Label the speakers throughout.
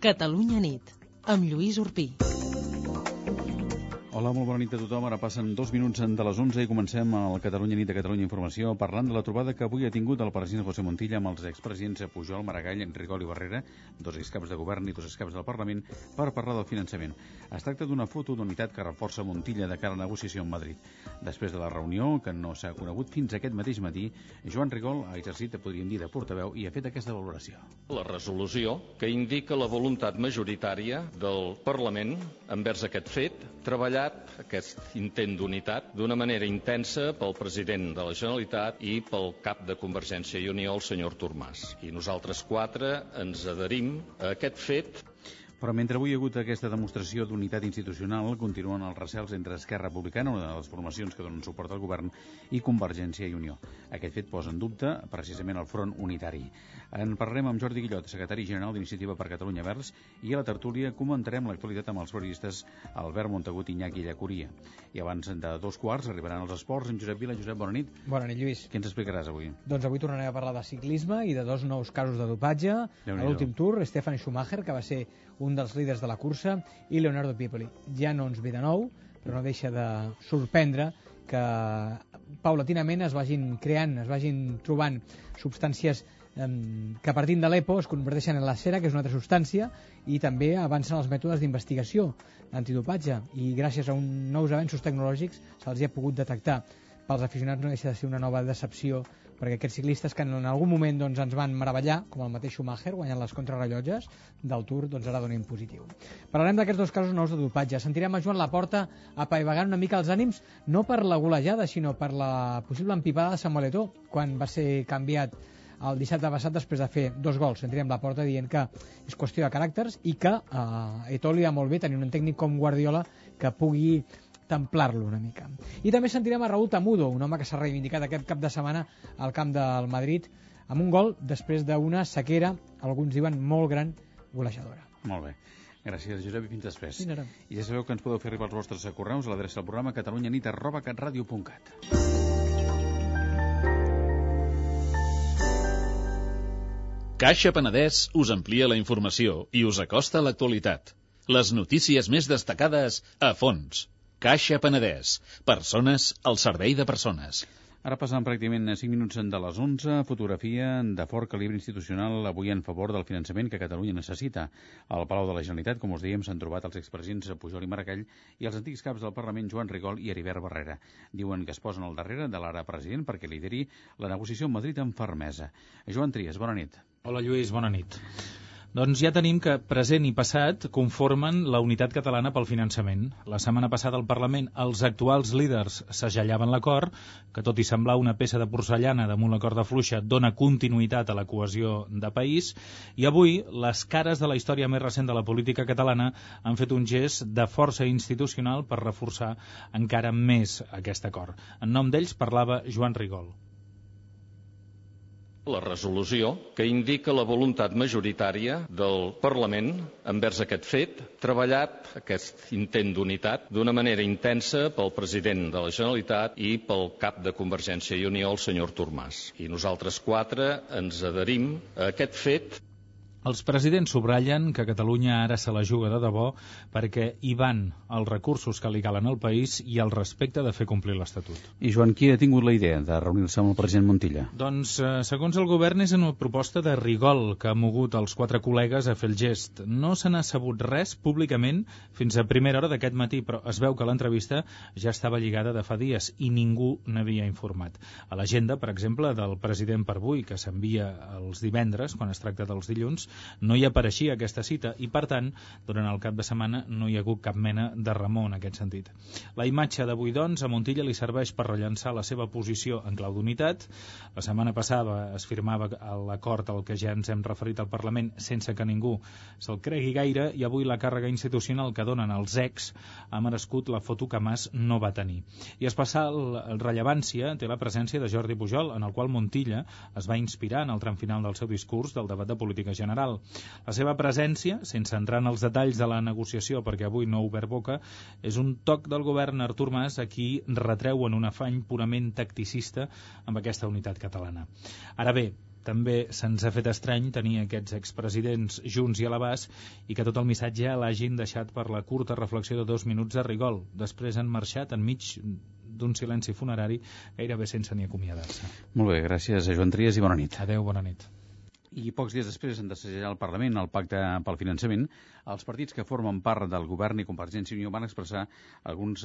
Speaker 1: Catalunya nit, amb Lluís Urpí.
Speaker 2: Hola, molt bona nit a tothom. Ara passen 2 minuts de les 11 i comencem el Catalunya nit de Catalunya Informació parlant de la trobada que avui ha tingut el president José Montilla amb els expresidents Pujol, Maragall, Rigol i Barrera, 2 excaps de govern i 2 excaps del Parlament, per parlar del finançament. Es tracta d'una foto d'unitat que reforça Montilla de cara a la negociació amb Madrid. Després de la reunió, que no s'ha conegut fins aquest mateix matí, Joan Rigol ha exercit, podríem dir, de portaveu i ha fet aquesta valoració.
Speaker 3: La resolució que indica la voluntat majoritària del Parlament envers aquest fet, treballat aquest intent d'unitat d'una manera intensa pel president de la Generalitat i pel cap de Convergència i Unió, el senyor Artur Mas. I nosaltres 4 ens adherim a aquest fet.
Speaker 2: Però mentre avui hi ha hagut aquesta demostració d'unitat institucional, continuen els recels entre Esquerra Republicana, una de les formacions que donen suport al govern, i Convergència i Unió. Aquest fet posa en dubte precisament el front unitari. En parlarem amb Jordi Guillot, secretari general d'Iniciativa per Catalunya Verds, i a la tertúlia comentarem l'actualitat amb els periodistes Albert Montagut i Iñaki Llacuria. I abans de 2:15 arribaran els esports amb Josep Vila. Josep, bona nit.
Speaker 4: Bona nit, Lluís.
Speaker 2: Què ens explicaràs avui?
Speaker 4: Doncs avui tornarem a parlar de ciclisme i de 2 nous casos de dopatge. A l'últim Tour, Stefan Schumacher, que va ser un dels líders de la cursa, i Leonardo Piepoli. Ja no ens ve de nou, però no deixa de sorprendre que paulatinament es vagin creant, es vagin trobant substàncies que partint de l'EPO es converteixen en la cera, que és una altra substància, i també avancen els mètodes d'investigació antidopatge, i gràcies a nous avenços tecnològics se'ls ha pogut detectar. Pels aficionats no deixa de ser una nova decepció, perquè aquests ciclistes que en algun moment doncs, ens van meravellar, com el mateix Schumacher, guanyant les contrarrellotges del Tour, doncs ara donen positiu. Parlarem d'aquests 2 casos nous de dopatge. Sentirem a Joan Laporta apaivagant una mica els ànims, no per la golejada, sinó per la possible empipada de Samuel Eto'o, quan va ser canviat el dissabte passat després de fer 2 gols. Sentirem Laporta dient que és qüestió de caràcters i que a Eto'o li va molt bé tenir un tècnic com Guardiola que pugui templar-lo una mica. I també sentirem a Raúl Tamudo, un home que s'ha reivindicat aquest cap de setmana al camp del Madrid amb un gol després d'una sequera, alguns diuen molt gran, golejadora.
Speaker 2: Molt bé. Gràcies, Josep, i fins després.
Speaker 4: Fins ara.
Speaker 2: I ja sabeu que ens podeu fer arribar els vostres correus a l'adreça del programa catalunyanit@catradio.cat.
Speaker 5: Caixa Penedès us amplia la informació i us acosta a l'actualitat. Les notícies més destacades a fons. Caixa Penedès. Persones al servei de persones.
Speaker 2: Ara passant pràcticament 5 minuts de les 11, fotografia de fort calibre institucional avui en favor del finançament que Catalunya necessita. Al Palau de la Generalitat, com us dèiem, s'han trobat els expresidents Pujol i Maragall i els antics caps del Parlament Joan Rigol i Heribert Barrera. Diuen que es posen al darrere de l'ara president perquè lideri la negociació amb Madrid amb fermesa. Joan Trias, bona nit.
Speaker 6: Hola Lluís, bona nit. Doncs ja tenim que present i passat conformen la unitat catalana pel finançament. La setmana passada al Parlament els actuals líders segellaven l'acord, que tot i semblar una peça de porcellana damunt la corda fluixa dona continuïtat a la cohesió de país, i avui les cares de la història més recent de la política catalana han fet un gest de força institucional per reforçar encara més aquest acord. En nom d'ells parlava Joan Rigol.
Speaker 3: La resolució que indica la voluntat majoritària del Parlament envers aquest fet, treballat aquest intent d'unitat d'una manera intensa pel president de la Generalitat i pel cap de Convergència i Unió, el senyor Artur Mas. I nosaltres 4 ens adherim a aquest fet.
Speaker 6: Els presidents subratllen que Catalunya ara se la juga de debò perquè hi van els recursos que li calen al país i el respecte de fer complir l'Estatut.
Speaker 2: I Joan, qui ha tingut la idea de reunir-se amb el president Montilla?
Speaker 6: Doncs, segons el govern, és una proposta de Rigol que ha mogut els 4 col·legues a fer el gest. No se n'ha sabut res públicament fins a primera hora d'aquest matí, però es veu que l'entrevista ja estava lligada de fa dies i ningú n'havia informat. A l'agenda, per exemple, del president per avui, que s'envia els divendres, quan es tracta dels dilluns, no hi apareixia aquesta cita i, per tant, durant el cap de setmana no hi ha hagut cap mena de remor en aquest sentit. La imatge d'avui, doncs, a Montilla li serveix per rellançar la seva posició en clau d'unitat. La setmana passada es firmava l'acord al que ja ens hem referit al Parlament sense que ningú se'l cregui gaire, i avui la càrrega institucional que donen els ex ha merescut la foto que Mas no va tenir. I especial rellevància té la presència de Jordi Pujol, en el qual Montilla es va inspirar en el tram final del seu discurs del debat de política general. Federal. La seva presència, sense entrar en els detalls de la negociació, perquè avui no ha obert boca, és un toc del govern Artur Mas a qui retreuen un afany purament tacticista amb aquesta unitat catalana. Ara bé, també se'ns ha fet estrany tenir aquests expresidents junts i a l'abast i que tot el missatge l'hagin deixat per la curta reflexió de 2 minuts a Rigol. Després han marxat enmig d'un silenci funerari gairebé sense ni acomiadar-se.
Speaker 2: Molt bé, gràcies a Joan Trias i bona nit.
Speaker 6: Adéu, bona nit.
Speaker 2: I pocs dies després han d'assajar al Parlament el pacte pel finançament. Els partits que formen part del govern i Convergència i Unió van expressar alguns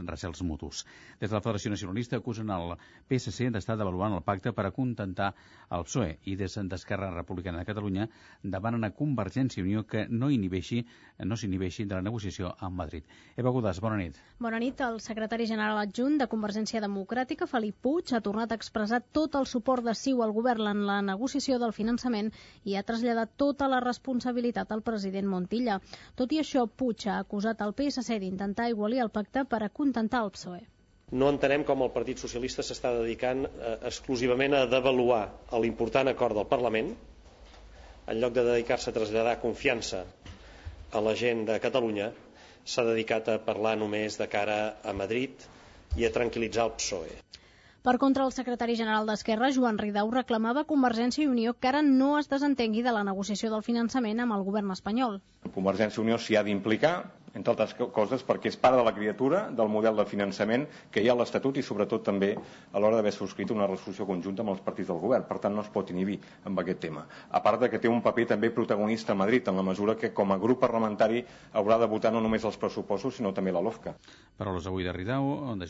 Speaker 2: recels mutus. Des de la Federació Nacionalista acusen el PSC d'estar devaluant el pacte per acontentar el PSOE i des d'Esquerra Republicana de Catalunya demanen a Convergència i Unió que no s'inhibeixi de la negociació amb Madrid. Eva Godàs, bona nit.
Speaker 7: Bona nit. El secretari general adjunt de Convergència Democràtica, Felip Puig, ha tornat a expressar tot el suport de CiU al govern en la negociació del finançament i ha traslladat tota la responsabilitat al president Montilla. Tot i això, Puig ha acusat el PSC d'intentar aigualir el pacte per acontentar el PSOE.
Speaker 8: No entenem com el Partit Socialista s'està dedicant exclusivament a devaluar l'important acord del Parlament, en lloc de dedicar-se a traslladar confiança a la gent de Catalunya, s'ha dedicat a parlar només de cara a Madrid i a tranquil·litzar el PSOE.
Speaker 7: Per contra, el secretari general d'Esquerra, Joan Ridao, reclamava a Convergència i Unió que ara no es desentengui de la negociació del finançament amb el govern espanyol.
Speaker 9: Convergència i Unió s'hi ha d'implicar, entre altres coses, perquè és part de la criatura del model de finançament que hi ha a l'Estatut i sobretot també a l'hora d'haver subscrit una resolució conjunta amb els partits del govern. Per tant, no es pot inhibir amb aquest tema. A part de que té un paper també protagonista a Madrid, en la mesura que com a grup parlamentari haurà de votar no només els pressupostos, sinó també la LOFCA.
Speaker 2: Paraules avui de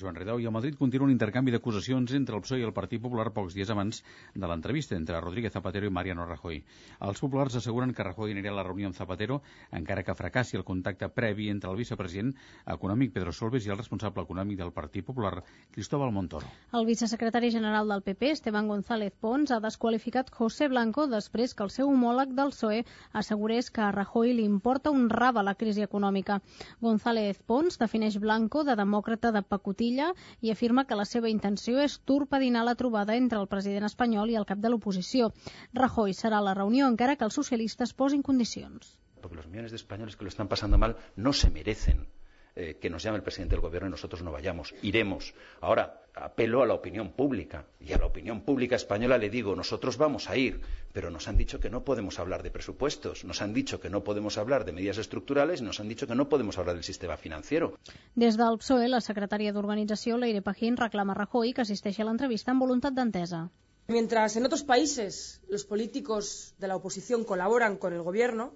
Speaker 2: Joan Ridao, i a Madrid continua un intercanvi d'acusacions entre el PSOE i el Partit Popular pocs dies abans de l'entrevista entre Rodríguez Zapatero i Mariano Rajoy. Els populars asseguren que Rajoy anirà a la reunió amb Zapatero, encara que fracassi el contacte previ entre el vicepresident econòmic Pedro Solbes i el responsable econòmic del Partit Popular, Cristóbal Montoro.
Speaker 7: El vicesecretari general del PP, Esteban González Pons, ha desqualificat José Blanco després que el seu homòleg del PSOE assegurés que a Rajoy li importa un rave la crisi econòmica. González Pons defineix Blanco de demòcrata de pacotilla i afirma que la seva intenció és torpedinar la trobada entre el president espanyol i el cap de l'oposició. Rajoy serà a la reunió encara que els socialistes posin condicions.
Speaker 10: Porque los millones de españoles que lo están pasando mal no se merecen que nos llame el presidente del gobierno y nosotros no vayamos. Iremos. Ahora, apelo a la opinión pública. Y a la opinión pública española le digo, nosotros vamos a ir, pero nos han dicho que no podemos hablar de presupuestos, nos han dicho que no podemos hablar de medidas estructurales y nos han dicho que no podemos hablar del sistema financiero.
Speaker 7: Des del PSOE, la secretària d'Organització, Leire Pajín, reclama a Rajoy que assisteixi a l'entrevista amb voluntat d'entesa.
Speaker 11: Mientras en otros países los políticos de la oposición colaboran con el gobierno,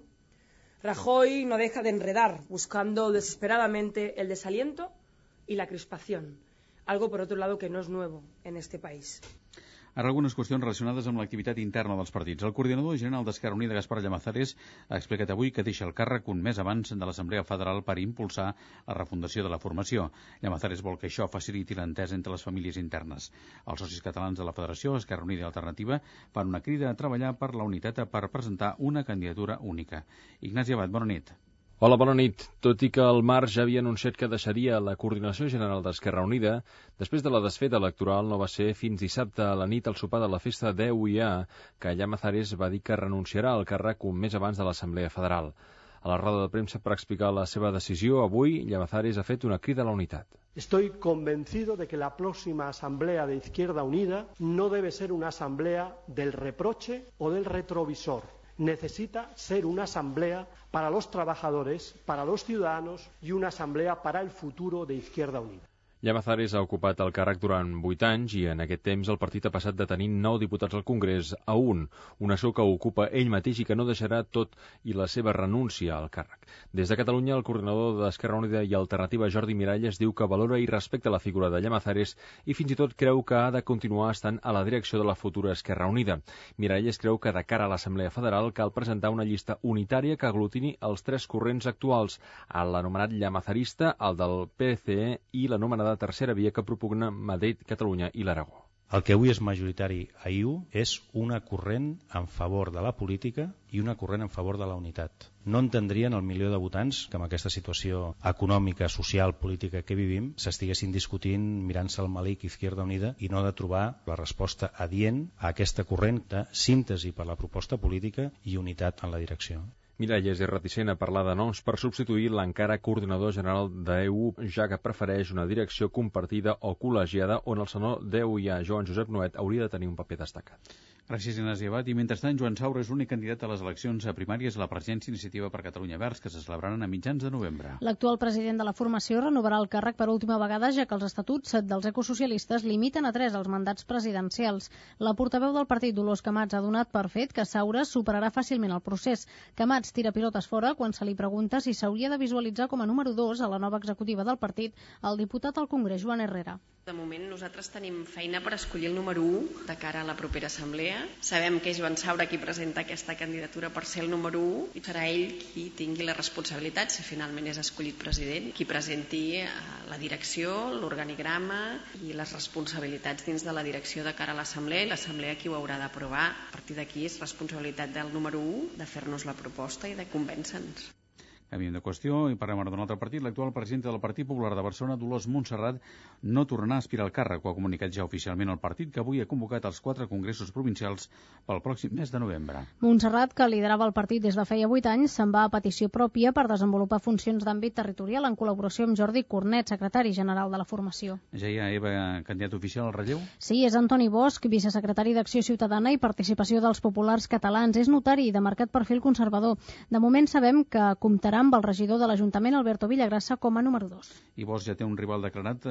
Speaker 11: Rajoy no deja de enredar, buscando desesperadamente el desaliento y la crispación, algo por otro lado que no es nuevo en este país.
Speaker 2: Ara algunes qüestions relacionades amb l'activitat interna dels partits. El coordinador general d'Esquerra Unida, Gaspar Llamazares, ha explicat avui que deixa el càrrec un mes abans de l'Assemblea Federal per impulsar la refundació de la formació. Llamazares vol que això faciliti l'entesa entre les famílies internes. Els socis catalans de la Federació, Esquerra Unida i Alternativa, fan una crida a treballar per la unitat per presentar una candidatura única. Ignasi Abad, bona nit.
Speaker 12: Hola, bona nit. Tot i que el Marc ja havia anunciat que deixaria la coordinació general d'Esquerra Unida, després de la desfeta electoral no va ser fins dissabte a la nit al sopar de la festa d'EUIA que Llamazares va dir que renunciarà al càrrec un mes abans de l'Assemblea Federal. A la roda de premsa per explicar la seva decisió, avui Llamazares ha fet una crida a la unitat.
Speaker 13: Estoy convencido de que la próxima Asamblea de Izquierda Unida no debe ser una asamblea del reproche o del retrovisor. Necesita ser una asamblea para los trabajadores, para los ciudadanos y una asamblea para el futuro de Izquierda Unida.
Speaker 12: Llamazares ha ocupat el càrrec durant 8 anys i en aquest temps el partit ha passat de tenir 9 diputats al Congrés a un escó que ocupa ell mateix i que no deixarà tot i la seva renúncia al càrrec. Des de Catalunya, el coordinador d'Esquerra Unida i Alternativa, Jordi Miralles, diu que valora i respecta la figura de Llamazares i fins i tot creu que ha de continuar estant a la direcció de la futura Esquerra Unida. Miralles creu que de cara a l'Assemblea Federal cal presentar una llista unitària que aglutini els 3 corrents actuals, l'anomenat llamazarista, el del PCE i l'anomenada tercera via que propugna Madrid, Catalunya i l'Aragó.
Speaker 14: El que avui és majoritari a IU és una corrent en favor de la política i una corrent en favor de la unitat. No entendrien el milió de votants que amb aquesta situació econòmica, social, política que vivim s'estiguessin discutint mirant-se al malic Izquierda Unida i no de trobar la resposta adient a aquesta corrent de síntesi per la proposta política i unitat en la direcció.
Speaker 12: Miralles és reticent a parlar de noms per substituir l'encara coordinador general d'EU, ja que prefereix una direcció compartida o col·legiada on el senador d'EU, Joan Josep Nuet, hauria de tenir un paper destacat.
Speaker 2: Gràcies, Ignasi Abad. I mentrestant, Joan Saura és l'únic candidat a les eleccions primàries a la presidència Iniciativa per Catalunya Verds, que se celebraran a mitjans de novembre.
Speaker 7: L'actual president de la formació renovarà el càrrec per última vegada, ja que els estatuts dels ecosocialistes limiten a 3 els mandats presidencials. La portaveu del partit, Dolors Camats, ha donat per fet que Saura superarà fàcilment el procés. Camats tira pilotes fora quan se li pregunta si s'hauria de visualitzar com a número 2 a la nova executiva del partit el diputat al Congrés, Joan Herrera.
Speaker 15: De moment nosaltres tenim feina per escollir el número 1 de cara a la propera assemblea. Sabem que és Joan Saura qui presenta aquesta candidatura per ser el número 1 i serà ell qui tingui la responsabilitat, si finalment és escollit president, qui presenti la direcció, l'organigrama i les responsabilitats dins de la direcció de cara a l'assemblea i l'assemblea qui ho haurà d'aprovar. A partir d'aquí és responsabilitat del número 1 de fer-nos la proposta i de convèncer-nos.
Speaker 2: Canviem de qüestió i parlem ara d'un altre partit. L'actual presidenta del Partit Popular de Barcelona, Dolors Montserrat, no tornarà a aspirar al càrrec. Ho ha comunicat ja oficialment el partit, que avui ha convocat els 4 congressos provincials pel pròxim mes de novembre.
Speaker 7: Montserrat, que liderava el partit des de feia 8 anys, se'n va a petició pròpia per desenvolupar funcions d'àmbit territorial en col·laboració amb Jordi Cornet, secretari general de la formació.
Speaker 2: Ja hi ha, Eva, candidat oficial al relleu?
Speaker 7: Sí, és Antoni Bosch, vicesecretari d'Acció Ciutadana i Participació dels Populars Catalans. És notari i de marcat perfil conservador. De moment sabem que comptarà amb el regidor de l'Ajuntament, Alberto Villagrassa, com a número 2.
Speaker 2: I Bosch ja té un rival declarat,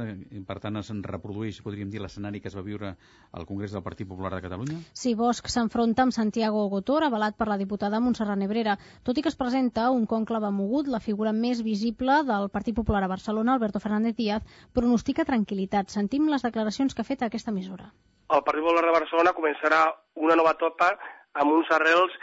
Speaker 2: per tant es reprodueix, podríem dir, l'escenari que es va viure al Congrés del Partit Popular de Catalunya?
Speaker 7: Sí, Bosch s'enfronta amb Santiago Gotor, avalat per la diputada Montserrat Nebrera. Tot i que es presenta un conclave mogut, la figura més visible del Partit Popular a Barcelona, Alberto Fernández Díaz, pronostica tranquil·litat. Sentim les declaracions que ha fet a aquesta emissora.
Speaker 16: El Partit Popular de Barcelona començarà una nova etapa amb uns arrels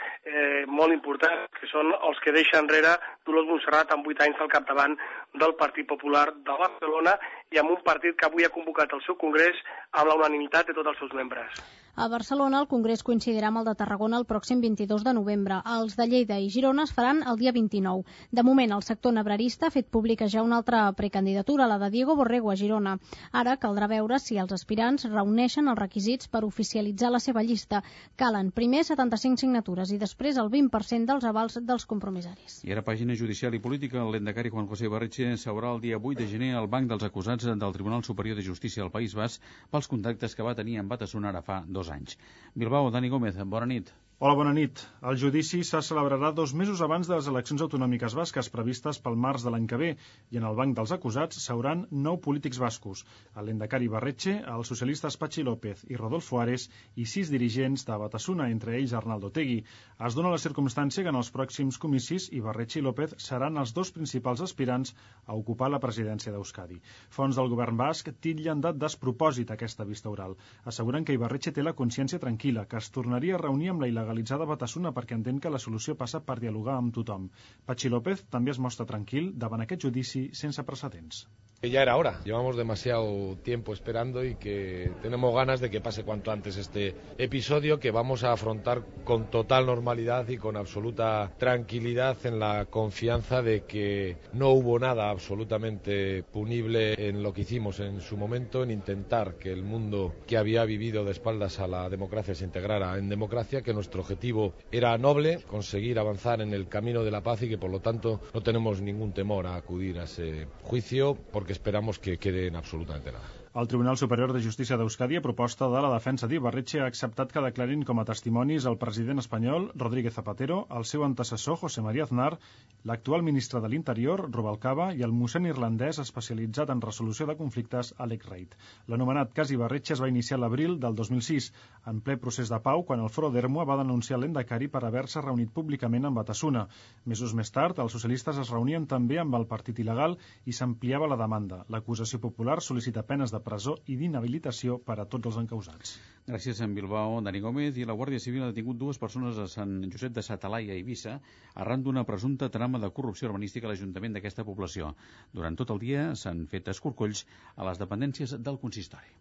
Speaker 16: molt importants, que són els que deixa enrere Dolors Montserrat amb 8 anys al capdavant del Partit Popular de Barcelona i amb un partit que avui ha convocat el seu congrés amb la unanimitat de tots els seus membres.
Speaker 7: A Barcelona el congrés coincidirà amb el de Tarragona el pròxim 22 de novembre. Els de Lleida i Girona es faran el dia 29. De moment, el sector nebrarista ha fet pública ja una altra precandidatura, la de Diego Borrego a Girona. Ara caldrà veure si els aspirants reuneixen els requisits per oficialitzar la seva llista. Calen primer 75 signatures i després el 20% dels avals dels compromissaris.
Speaker 2: I ara pàgina judicial i política. El lehendakari Juan José Ibarretxe seurà el dia 8 de gener al banc dels acusats del Tribunal Superior de Justícia del País Basc pels contactes que va tenir amb Batasuna ara fa 2 anys. Bilbao, Dani Gómez, bona nit.
Speaker 17: Hola, bona nit. El judici se celebrarà 2 mesos abans de les eleccions autonòmiques basques previstes pel març de l'any que ve i en el banc dels acusats seuran 9 polítics bascos, el lehendakari Ibarretxe, els socialistes Patxi López i Rodolfo Ares i 6 dirigents de Batasuna, entre ells Arnaldo Otegi. Es dona la circumstància que en els pròxims comicis Ibarretxe i López seran els 2 principals aspirants a ocupar la presidència d'Euskadi. Fonts del govern basc titllen de despropòsit aquesta vista oral. Asseguren que Ibarretxe té la consciència tranquil·la, que es tornaria a reunir amb la il·legalitzada Batasuna perquè entén que la solució passa per dialogar amb tothom. Patxi López també es mostra tranquil davant aquest judici sense precedents.
Speaker 18: Ya era hora, llevamos demasiado tiempo esperando y que tenemos ganas de que pase cuanto antes este episodio que vamos a afrontar con total normalidad y con absoluta tranquilidad en la confianza de que no hubo nada absolutamente punible en lo que hicimos en su momento, en intentar que el mundo que había vivido de espaldas a la democracia se integrara en democracia, que nuestro objetivo era noble, conseguir avanzar en el camino de la paz y que por lo tanto no tenemos ningún temor a acudir a ese juicio porque esperamos que quede en absolutamente nada.
Speaker 17: El Tribunal Superior de Justícia d'Euskadi, a proposta de la defensa d'Ibarretxe, ha acceptat que declarin com a testimonis el president espanyol, Rodríguez Zapatero, el seu antecessor, José María Aznar, l'actual ministre de l'Interior, Rubalcaba, i el mossèn irlandès especialitzat en resolució de conflictes, Alex Reid. L'anomenat cas Ibarretxe es va iniciar l'abril del 2006, en ple procés de pau, quan el Foro d'Ermua va denunciar l'endacari per haver-se reunit públicament amb Batasuna. Mesos més tard, els socialistes es reunien també amb el partit il·legal i s'ampliava la demanda. L'acusació popular sol·licita penes de presó i d'inhabilitació per a tots els encausats.
Speaker 2: Gràcies a Bilbao, Dani Gómez. I la Guàrdia Civil ha detingut 2 persones a Sant Josep de sa Talaia i Eivissa arran d'una presumpta trama de corrupció urbanística a l'Ajuntament d'aquesta població. Durant tot el dia s'han fet escorcolls a les dependències del consistori.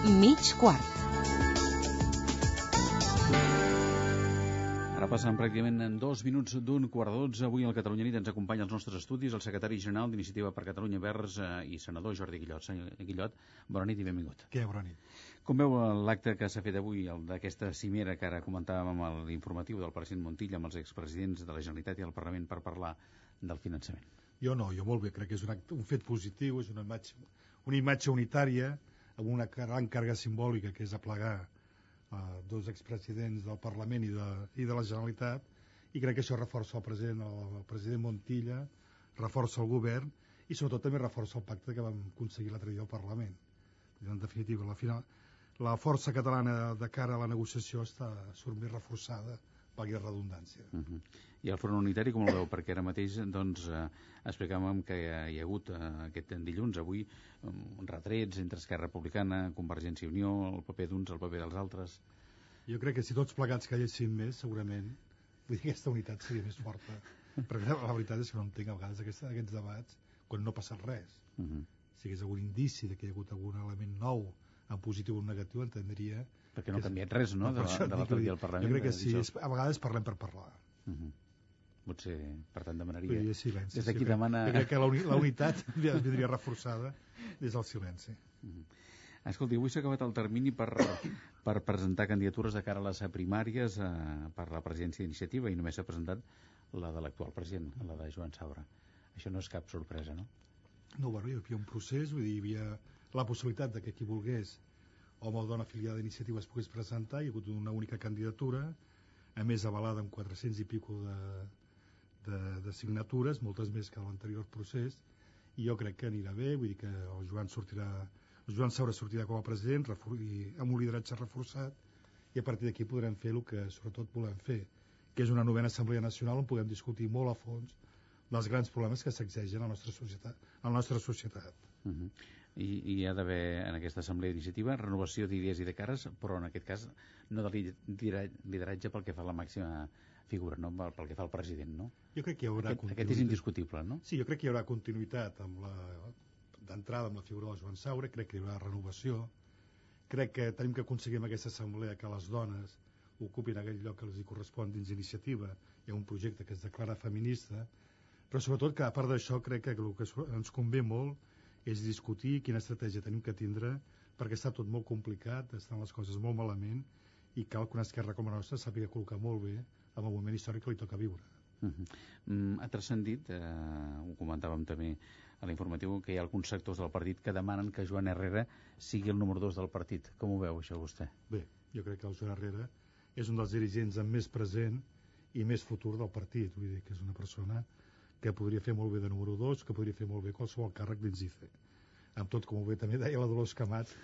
Speaker 1: mig quart.
Speaker 2: Ara passen pràcticament en 2 minuts d'un quart de 12. Avui al Catalunya Nit ens acompanya als nostres estudis el secretari general d'Iniciativa per Catalunya Verds i senador Jordi Guillot. Senyor Guillot, bona nit i benvingut.
Speaker 19: Què, bona nit.
Speaker 2: Com veu l'acte que s'ha fet avui, d'aquesta cimera que ara comentàvem amb l'informatiu del president Montilla amb els expresidents de la Generalitat i el Parlament per parlar del finançament?
Speaker 19: Jo molt bé, crec que és un fet positiu, és una imatge unitària amb una gran càrrega simbòlica que és aplegar dos expresidents del Parlament i de la Generalitat, i crec que això reforça el president Montilla, reforça el govern i sobretot també reforça el pacte que vam aconseguir l'altre dia al Parlament. En definitiva, la força catalana de cara a la negociació surt més reforçada, valgui la redundància.
Speaker 2: I el Front Unitari com el veu? Perquè ara mateix explicàvem que hi ha hagut aquest dilluns, avui, retrets entre Esquerra Republicana, Convergència i Unió, el paper d'uns, el paper dels altres.
Speaker 19: Jo crec que si tots plegats calléssim més, segurament aquesta unitat seria més forta. Perquè la veritat és que no entenc a vegades aquests debats quan no ha passat res. Si hi hagués algun indici que hi ha hagut algun element nou, en positiu o en negatiu, entendria...
Speaker 2: Perquè no ha canviat res, no?, de l'altre dia al Parlament.
Speaker 19: Jo crec que sí, a vegades parlem per parlar.
Speaker 2: Potser, per tant, demanaria...
Speaker 19: Silenci.
Speaker 2: Des d'aquí demana...
Speaker 19: Jo crec que la unitat vindria reforçada des del silenci.
Speaker 2: Escolti, avui s'ha acabat el termini per presentar candidatures de cara a les primàries per la presidència d'Iniciativa i només s'ha presentat la de l'actual president, la de Joan Saura. Això no és cap sorpresa, no?
Speaker 19: No, bueno, hi havia un procés, vull dir, hi havia la possibilitat de que qui volgués, home o dona afiliada d'Iniciativa, es pogués presentar. Hi ha hagut una única candidatura, a més avalada amb 400 i pico de signatures, moltes més que l'anterior procés, i jo crec que anirà bé, vull dir que el Joan Saura sortirà com a president amb un lideratge reforçat, i a partir d'aquí podrem fer el que sobretot volem fer, que és una novena Assemblea Nacional on puguem discutir molt a fons dels grans problemes que s'exegen a la nostra societat.
Speaker 2: I hi ha d'haver en aquesta assemblea d'iniciativa renovació d'idees i de cares, però en aquest cas no de lideratge pel que fa a la màxima figura, no? Pel que fa al president, no?
Speaker 19: Jo crec que hi haurà
Speaker 2: aquest és indiscutible, no?
Speaker 19: Sí, jo crec que hi haurà continuïtat d'entrada amb la figura de Joan Saura, crec que hi haurà renovació, crec que tenim que aconseguir amb aquesta assemblea que les dones ocupin aquell lloc que els correspon dins d'iniciativa. Hi ha un projecte que es declara feminista, però sobretot que a part d'això crec que el que ens convé molt és discutir quina estratègia tenim que tindre, perquè està tot molt complicat, estan les coses molt malament, i cal que una esquerra com la nostra sàpiga col·locar molt bé amb el moment històric que li toca viure.
Speaker 2: Ha transcendit, ho comentàvem també a l'informatiu, que hi ha alguns sectors del partit que demanen que Joan Herrera sigui el número 2 del partit. Com ho veu, això, vostè?
Speaker 19: Bé, jo crec que el Joan Herrera és un dels dirigents amb més present i més futur del partit. Vull dir que és una persona que podria fer molt bé de número 2, que podria fer molt bé qualsevol càrrec dins d'ICE. Amb tot, com bé també deia la Dolors Camats,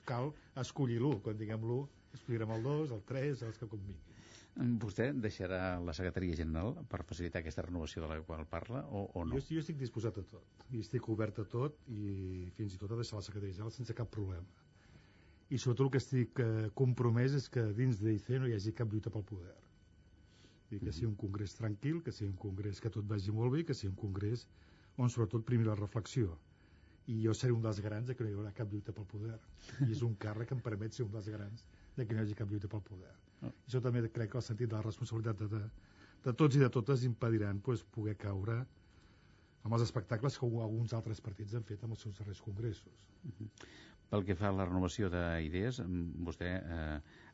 Speaker 19: cal escollir l'1. Quan diguem l'1, escollirem el 2, el 3, els que convingui.
Speaker 2: Vostè deixarà la secretaria general per facilitar aquesta renovació de la qual parla o no?
Speaker 19: Jo estic disposat a tot, i estic obert a tot, i fins i tot a deixar la secretaria general sense cap problema. I sobretot el que estic compromès és que dins d'ICE no hi hagi cap lluita pel poder. Que sigui un congrés tranquil, que sigui un congrés que tot vagi molt bé, que sigui un congrés on sobretot primi la reflexió. I jo seré un dels garants de que no hi haurà cap lluita pel poder. I és un càrrec que em permet ser un dels garants de que no hi hagi cap lluita pel poder. Això també crec que el sentit de la responsabilitat de tots i de totes impediran poder caure amb els espectacles que alguns altres partits han fet amb els seus darrers congressos.
Speaker 2: Pel que fa a la renovació d'idees, vostè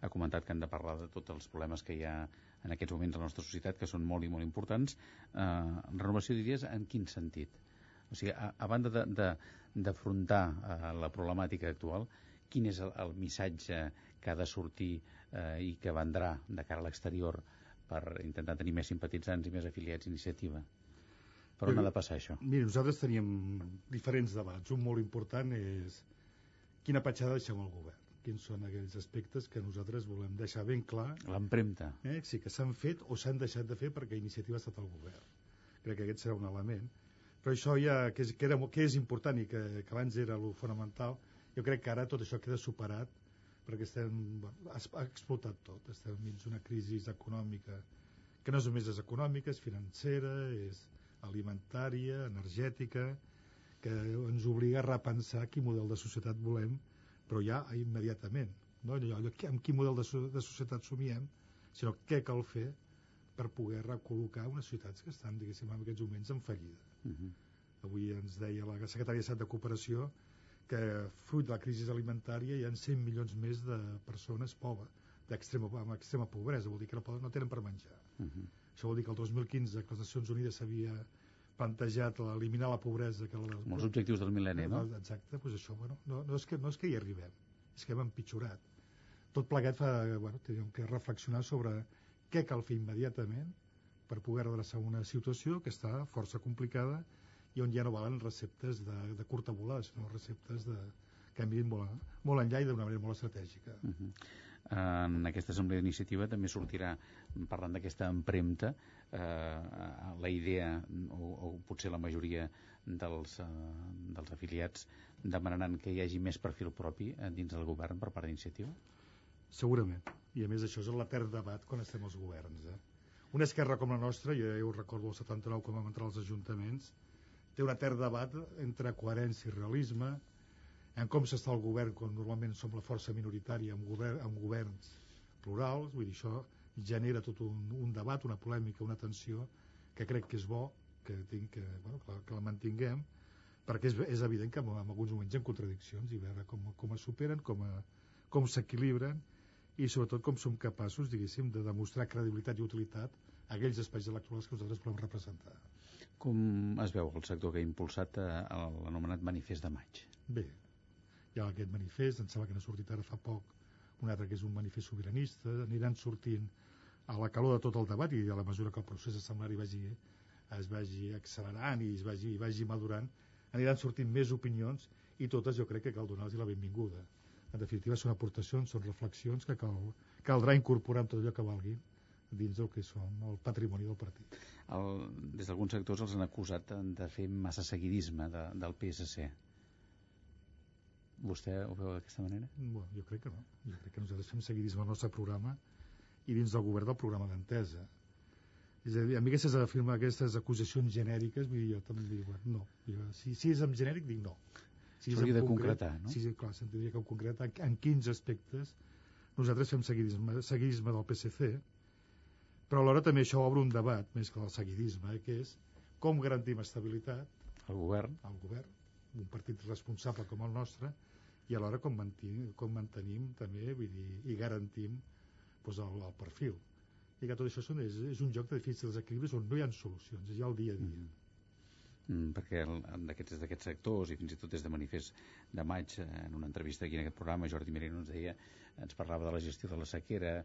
Speaker 2: ha comentat que han de parlar de tots els problemes que hi ha en aquests moments a la nostra societat, que són molt i molt importants. Renovació d'idees en quin sentit? O sigui, a banda d'afrontar la problemàtica actual, quin és el missatge que ha de sortir i que vendrà de cara a l'exterior per intentar tenir més simpatitzants i més afiliats a Iniciativa? Per on ha de passar això?
Speaker 19: Mira, nosaltres teníem diferents debats. Un molt important és quina petjada deixem al govern. Quins són aquells aspectes que nosaltres volem deixar ben clar.
Speaker 2: L'empremta.
Speaker 19: Sí, que s'han fet o s'han deixat de fer perquè Iniciativa ha estat al govern. Crec que aquest serà un element. Però això ja, que és important i que abans era el fonamental, jo crec que ara tot això queda superat perquè ha explotat tot. Estem dins d'una crisi econòmica que no només és econòmica, és financera, és alimentària, energètica, que ens obliga a repensar quin model de societat volem però ja immediatament, no allò amb quin model de societat somiem, sinó què cal fer per poder recol·locar unes ciutats que estan, diguéssim, en aquests moments en fallida. Avui ens deia la secretària d'Estat de Cooperació que fruit de la crisi alimentària hi ha 100 milions més de persones pobres, amb extrema pobresa, vol dir que no tenen per menjar. Això vol dir que el 2015 que les Nacions Unides s'havia plantejat eliminar la pobresa...
Speaker 2: Molts objectius del mil·lenni, no?
Speaker 19: Exacte, doncs això, no és que hi arribem, és que hem empitjorat. Tot plegat tenim que reflexionar sobre què cal fer immediatament per poder adreçar una situació que està força complicada i on ja no valen receptes de curta volada, sinó receptes que han vist molt enllà i d'una manera molt estratègica.
Speaker 2: En aquesta assemblea d'iniciativa també sortirà, parlant d'aquesta empremta, la idea, o potser la majoria dels afiliats demanaran que hi hagi més perfil propi dins del govern per part d'iniciativa?
Speaker 19: Segurament, i a més això és l'etern debat quan estem als governs. Una esquerra com la nostra, jo ho recordo el 79 quan vam entrar als ajuntaments, té un etern debat entre coherència i realisme, en com s'està el govern quan normalment som la força minoritària amb governs plurals. Vull dir, això genera tot un debat, una polèmica, una tensió que crec que és bo que la mantinguem, perquè és evident que en alguns moments hi ha contradiccions i veure com es superen, com s'equilibren i sobretot com som capaços, diguéssim, de demostrar credibilitat i utilitat a aquells espais electorals que nosaltres volem representar.
Speaker 2: Com es veu el sector que ha impulsat l'anomenat Manifest de Maig?
Speaker 19: Bé, hi ha aquest manifest, em sembla que n'ha sortit ara fa poc un altre que és un manifest sobiranista, aniran sortint a la calor de tot el debat i a la mesura que el procés assembleari es vagi accelerant i vagi madurant, aniran sortint més opinions i totes jo crec que cal donar-los la benvinguda. En definitiva són aportacions, són reflexions que caldrà incorporar en tot allò que valgui dins del que són el patrimoni del partit.
Speaker 2: Des d'alguns sectors els han acusat de fer massa seguidisme del PSC. Vostè ho veu d'aquesta manera?
Speaker 19: Bueno, jo crec que no. Jo crec que nosaltres fem seguidisme al nostre programa i dins del govern del programa d'entesa. És a dir, a mi aquestes acusacions genèriques, vull dir, jo també dic, no. Si és en genèric, dic no.
Speaker 2: S'hauria de concretar, no?
Speaker 19: Sí, clar, s'hauria de concretar en quins aspectes nosaltres fem seguidisme del PSC, però alhora també això obre un debat, més que el seguidisme, que és com garantim estabilitat
Speaker 2: al govern,
Speaker 19: un partit responsable com el nostre, i alhora com mantenim també, vull dir, i garantim el perfil. I que tot això és un joc de difícils equilibris on no hi ha solucions, hi ha el dia a dia.
Speaker 2: Perquè des d'aquests sectors i fins i tot des de Manifest de Maig, en una entrevista aquí en aquest programa, Jordi Merino ens parlava de la gestió de la sequera,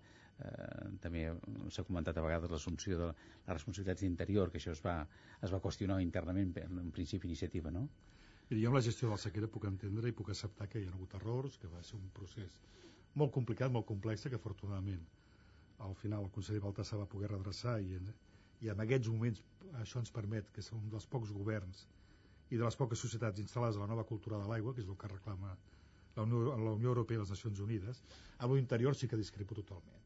Speaker 2: també s'ha comentat a vegades l'assumpció de les responsabilitats d'interior, que això es va qüestionar internament en principi iniciativa, no?
Speaker 19: Jo amb la gestió de la sequera puc entendre i puc acceptar que hi ha hagut errors, que va ser un procés molt complicat, molt complex, que afortunadament al final el conseller Baltasar va poder redreçar i en aquests moments això ens permet que som dels pocs governs i de les poques societats instal·lades a la nova cultura de l'aigua, que és el que reclama la Unió Europea i les Nacions Unides. A l'interior sí que discrepo totalment.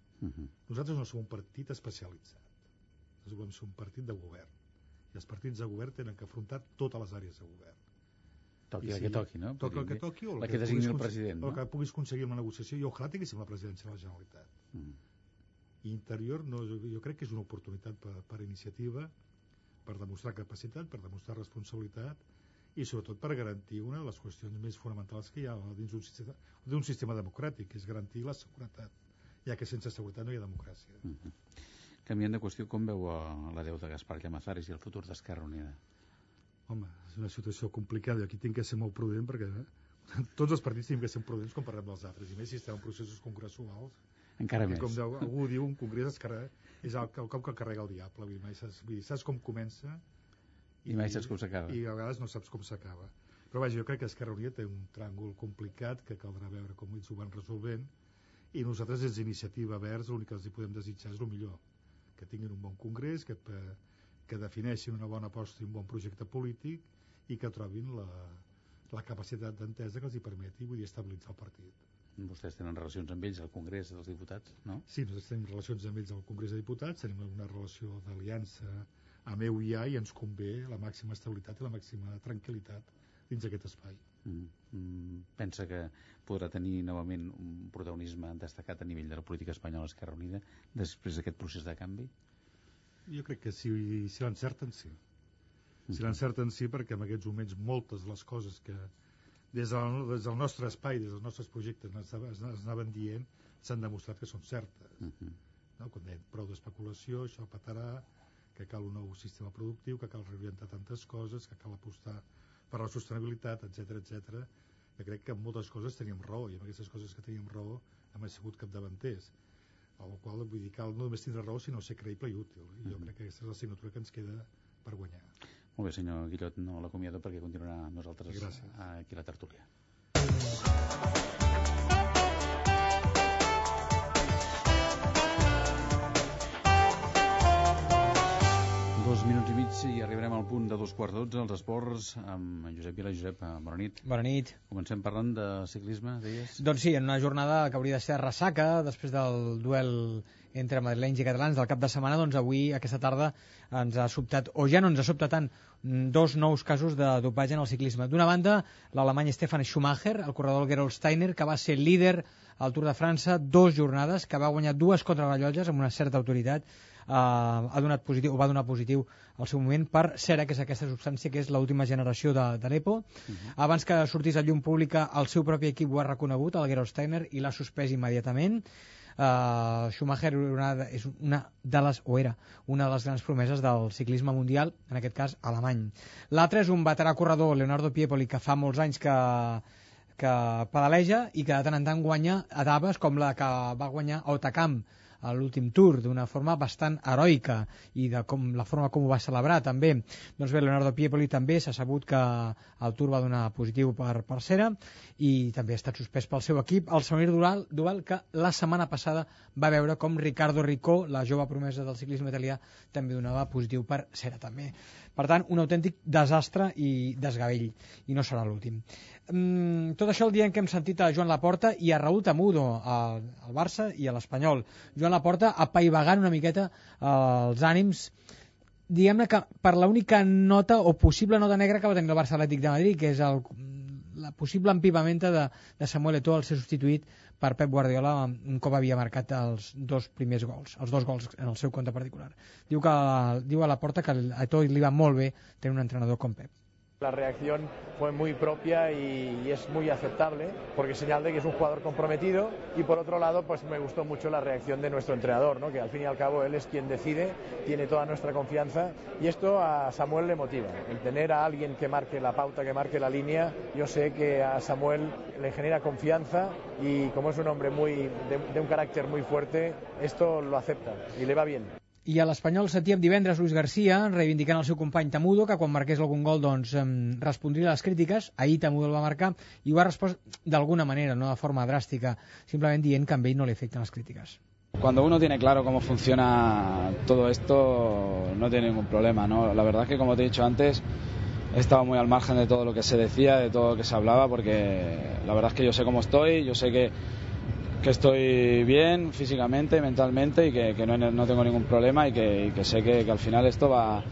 Speaker 19: Nosaltres no som un partit especialitzat, nosaltres volem ser un partit de govern i els partits de govern tenen que afrontar totes les àrees de govern.
Speaker 2: Toqui el que toqui, no?
Speaker 19: Toqui el que toqui o
Speaker 2: la que designi el president, no?
Speaker 19: El que puguis aconseguir una negociació i ojalà tinguéssim la presidència de la Generalitat. I interior jo crec que és una oportunitat per iniciativa, per demostrar capacitat, per demostrar responsabilitat i sobretot per garantir una de les qüestions més fonamentals que hi ha dins d'un sistema democràtic, que és garantir la seguretat, ja que sense seguretat no hi ha democràcia.
Speaker 2: Canviant de qüestió, com veu la Déu de Gaspar Llamazares i el futur d'Esquerra Unida?
Speaker 19: Home, és una situació complicada i aquí tinc que ser molt prudent perquè tots els partits tenim que ser prudents quan parlem dels altres, i més si estem en processos congressuals.
Speaker 2: Encara més.
Speaker 19: Com algú diu, un congrés és el cop que carrega el diable. Saps com comença
Speaker 2: i mai saps com s'acaba.
Speaker 19: I a vegades no saps com s'acaba. Però vaja, jo crec que Esquerra Unida té un tràngol complicat que caldrà veure com ells ho van resolvent i nosaltres des d'Iniciativa Verds l'únic que els hi podem desitjar és el millor, que tinguin un bon congrés, que defineixin una bona aposta i un bon projecte polític i que trobin la capacitat d'entesa que els hi permeti estabilitzar el partit.
Speaker 2: Vostès tenen relacions amb ells al Congrés dels Diputats, no?
Speaker 19: Sí, nosaltres tenim relacions amb ells al Congrés de Diputats, tenim una relació d'aliança amb EUIA i ens convé la màxima estabilitat i la màxima tranquil·litat dins d'aquest espai.
Speaker 2: Pensa que podrà tenir novament un protagonisme destacat a nivell de la política espanyola Esquerra Unida després d'aquest procés de canvi?
Speaker 19: Jo crec que si l'encerten, sí. Si l'encerten, sí, perquè en aquests moments moltes de les coses que des del nostre espai, des dels nostres projectes es anaven dient, s'han demostrat que són certes. No? Quan deien prou d'especulació, això petarà, que cal un nou sistema productiu, que cal reorientar tantes coses, que cal apostar per la sostenibilitat, etc. Que crec que en moltes coses teníem raó, i en aquestes coses que teníem raó hem sigut capdavanters. Amb la qual vull dir, cal no només tindre raó, sinó ser creïble i útil. I jo crec que aquesta és l'assignatura que ens queda per guanyar.
Speaker 2: Molt bé, senyor Guillot, no l'acomiado perquè continuarà amb nosaltres aquí a la tertúlia. Minuts i mig i arribarem al punt de 2:15, els esports, amb Josep Vila. Josep, bona nit.
Speaker 4: Bona nit.
Speaker 2: Comencem parlant de ciclisme, deies?
Speaker 4: Doncs sí, en una jornada que hauria de ser ressaca, després del duel entre madrilenys i catalans del cap de setmana, doncs avui, aquesta tarda, ens ha sobtat, o ja no ens ha sobtat tant, 2 nous casos de dopatge en el ciclisme. D'una banda, l'alemany Stefan Schumacher, el corredor Gerolf Steiner, que va ser líder al Tour de França 2 jornades, que va guanyar 2 contrarrellotges amb una certa autoritat, va donar positiu al seu moment per cera, que és aquesta substància que és l'última generació de l'EPO. Abans que sortís a llum pública, el seu propi equip ho ha reconegut, el Gerolf Steiner, i l'ha suspès immediatament. Schumacher és era una de les grans promeses del ciclisme mundial, en aquest cas alemany. L'altre és un veterà corredor, Leonardo Piepoli, que fa molts anys que pedaleja i que de tant en tant guanya etapes com la que va guanyar a Otakam a l'últim Tour, d'una forma bastant heroica, i de la forma com ho va celebrar també. Doncs bé, Leonardo Piepoli també s'ha sabut que el Tour va donar positiu per cera i també ha estat suspès pel seu equip, el Samir Duval, que la setmana passada va veure com Riccardo Ricó, la jove promesa del ciclisme italià, també donava positiu per cera també. Per tant, un autèntic desastre i desgavell, i no serà l'últim. Tot això el dia en què hem sentit a Joan Laporta i a Raúl Tamudo, al Barça i a l'Espanyol. Joan Laporta apaivagant una miqueta els ànims, diguem-ne que per l'única nota o possible nota negra que va tenir el Barça Atlètic de Madrid, que és la possible empivamenta de Samuel Eto'o, el ser substituït per Pep Guardiola un cop havia marcat els 2 primers gols, els 2 gols en el seu compte particular. Diu a Laporta que a Eto'o li va molt bé tenir un entrenador com Pep.
Speaker 20: La reacción fue muy propia y es muy aceptable porque señal de que es un jugador comprometido, y por otro lado pues me gustó mucho la reacción de nuestro entrenador, ¿no? Que al fin y al cabo él es quien decide, tiene toda nuestra confianza, y esto a Samuel le motiva, el tener a alguien que marque la pauta, que marque la línea. Yo sé que a Samuel le genera confianza y como es un hombre de un carácter muy fuerte, esto lo acepta y le va bien.
Speaker 4: I a l'Espanyol sentíem divendres Luis García reivindicant el seu company Tamudo, que quan marqués algun gol doncs respondria a les crítiques. Ahir Tamudo el va marcar i ho ha respost d'alguna manera, no de forma dràstica, simplement dient que a ell no li afecten les crítiques.
Speaker 21: Cuando uno tiene claro cómo funciona todo esto, no tiene ningún problema, ¿no? La verdad es que, como te he dicho antes, he estado muy al margen de todo lo que se decía, de todo lo que se hablaba, porque la verdad es que yo sé cómo estoy, yo sé que estoy bien físicamente, mentalmente, y que no tengo ningún problema, y que sé que al final esto va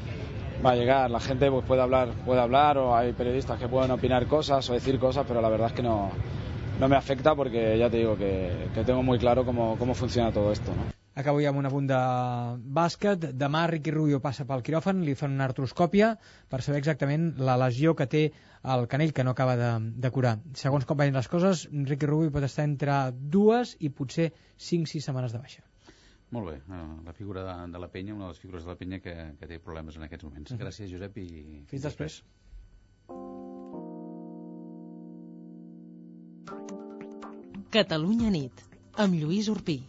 Speaker 21: a llegar. La gente pues puede hablar, o hay periodistas que pueden opinar cosas o decir cosas, pero la verdad es que no me afecta, porque ya te digo que tengo muy claro cómo funciona todo esto, ¿no?
Speaker 4: Acabo ja amb un apunt de bàsquet. Demà Ricky Rubio passa pel quiròfan, li fan una artroscòpia per saber exactament la lesió que té al canell, que no acaba de curar. Segons com vagin les coses, Ricky Rubio pot estar entre 2 i potser 5-6 setmanes de baixa.
Speaker 2: Molt bé, la figura de la penya, una de les figures de la penya que té problemes en aquests moments. Gràcies, Josep, i
Speaker 4: fins després.
Speaker 1: Catalunya nit, amb Lluís Urpí.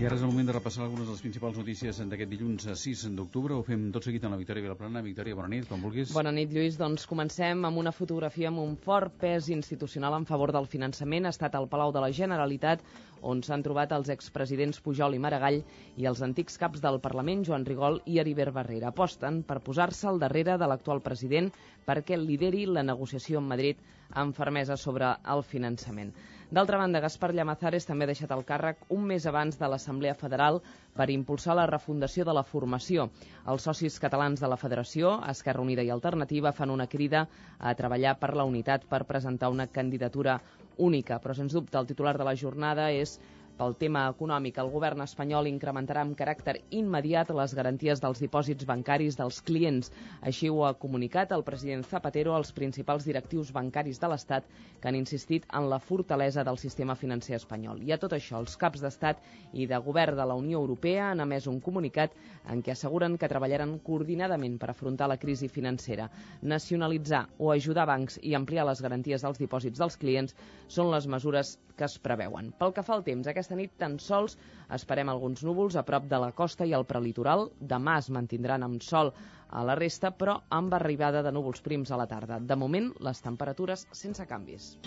Speaker 2: I ara és el moment de repassar algunes de les principals notícies d'aquest dilluns 6 d'octubre. Ho fem tot seguit amb la Victòria Vilaplana. Victòria, bona nit, quan vulguis.
Speaker 22: Bona nit, Lluís. Doncs comencem amb una fotografia amb un fort pes institucional en favor del finançament. Ha estat al Palau de la Generalitat, on s'han trobat els expresidents Pujol i Maragall i els antics caps del Parlament, Joan Rigol i Heribert Barrera. Aposten per posar-se al darrere de l'actual president perquè lideri la negociació amb Madrid amb fermesa sobre el finançament. D'altra banda, Gaspar Llamazares també ha deixat el càrrec un mes abans de l'Assemblea Federal per impulsar la refundació de la formació. Els socis catalans de la Federació, Esquerra Unida i Alternativa, fan una crida a treballar per la unitat per presentar una candidatura única. Però, sens dubte, el titular de la jornada és pel tema econòmic. El govern espanyol incrementarà amb caràcter immediat les garanties dels dipòsits bancaris dels clients. Així ho ha comunicat el president Zapatero als principals directius bancaris de l'Estat que han insistit en la fortalesa del sistema financer espanyol. I a tot això, els caps d'Estat i de govern de la Unió Europea han emès un comunicat en què asseguren que treballaran coordinadament per afrontar la crisi financera. Nacionalitzar o ajudar bancs i ampliar les garanties dels dipòsits dels clients són les mesures que es preveuen. Pel que fa al temps, aquesta nit tan sols esperem alguns núvols a prop de la costa i al prelitoral. Demà es mantindran amb sol a la resta, però amb arribada de núvols prims a la tarda. De moment, les temperatures sense canvis.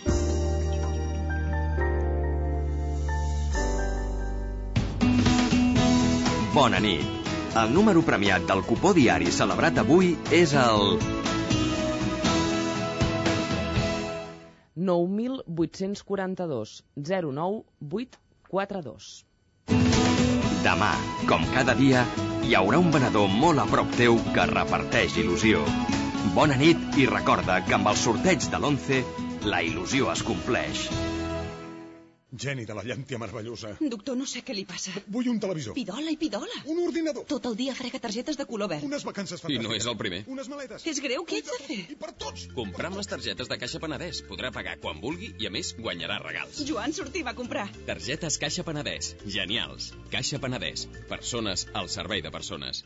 Speaker 3: Bona nit. El número premiat del cupó diari celebrat avui és el
Speaker 22: 9.842 09842.
Speaker 3: Demà, com cada dia, hi haurà un venedor molt a prop teu que reparteix il·lusió. Bona nit i recorda que amb el sorteig de l'11 la il·lusió es compleix.
Speaker 5: Geni de la llàntia meravellosa.
Speaker 23: Doctor, no sé què li passa.
Speaker 5: Vull un televisor.
Speaker 23: Pidola i pidola.
Speaker 5: Un ordinador.
Speaker 23: Tot el dia frega targetes de color verd.
Speaker 5: Unes vacances fantàstiques.
Speaker 24: I no és el primer.
Speaker 5: Unes maletes.
Speaker 23: És greu, què ets de fer?
Speaker 5: I per tots.
Speaker 24: Comprar amb les targetes de Caixa Penedès. Podrà pagar quan vulgui i, a més, guanyarà regals.
Speaker 23: Joan, sortim a comprar.
Speaker 24: Targetes Caixa Penedès. Genials. Caixa Penedès. Persones al servei de persones.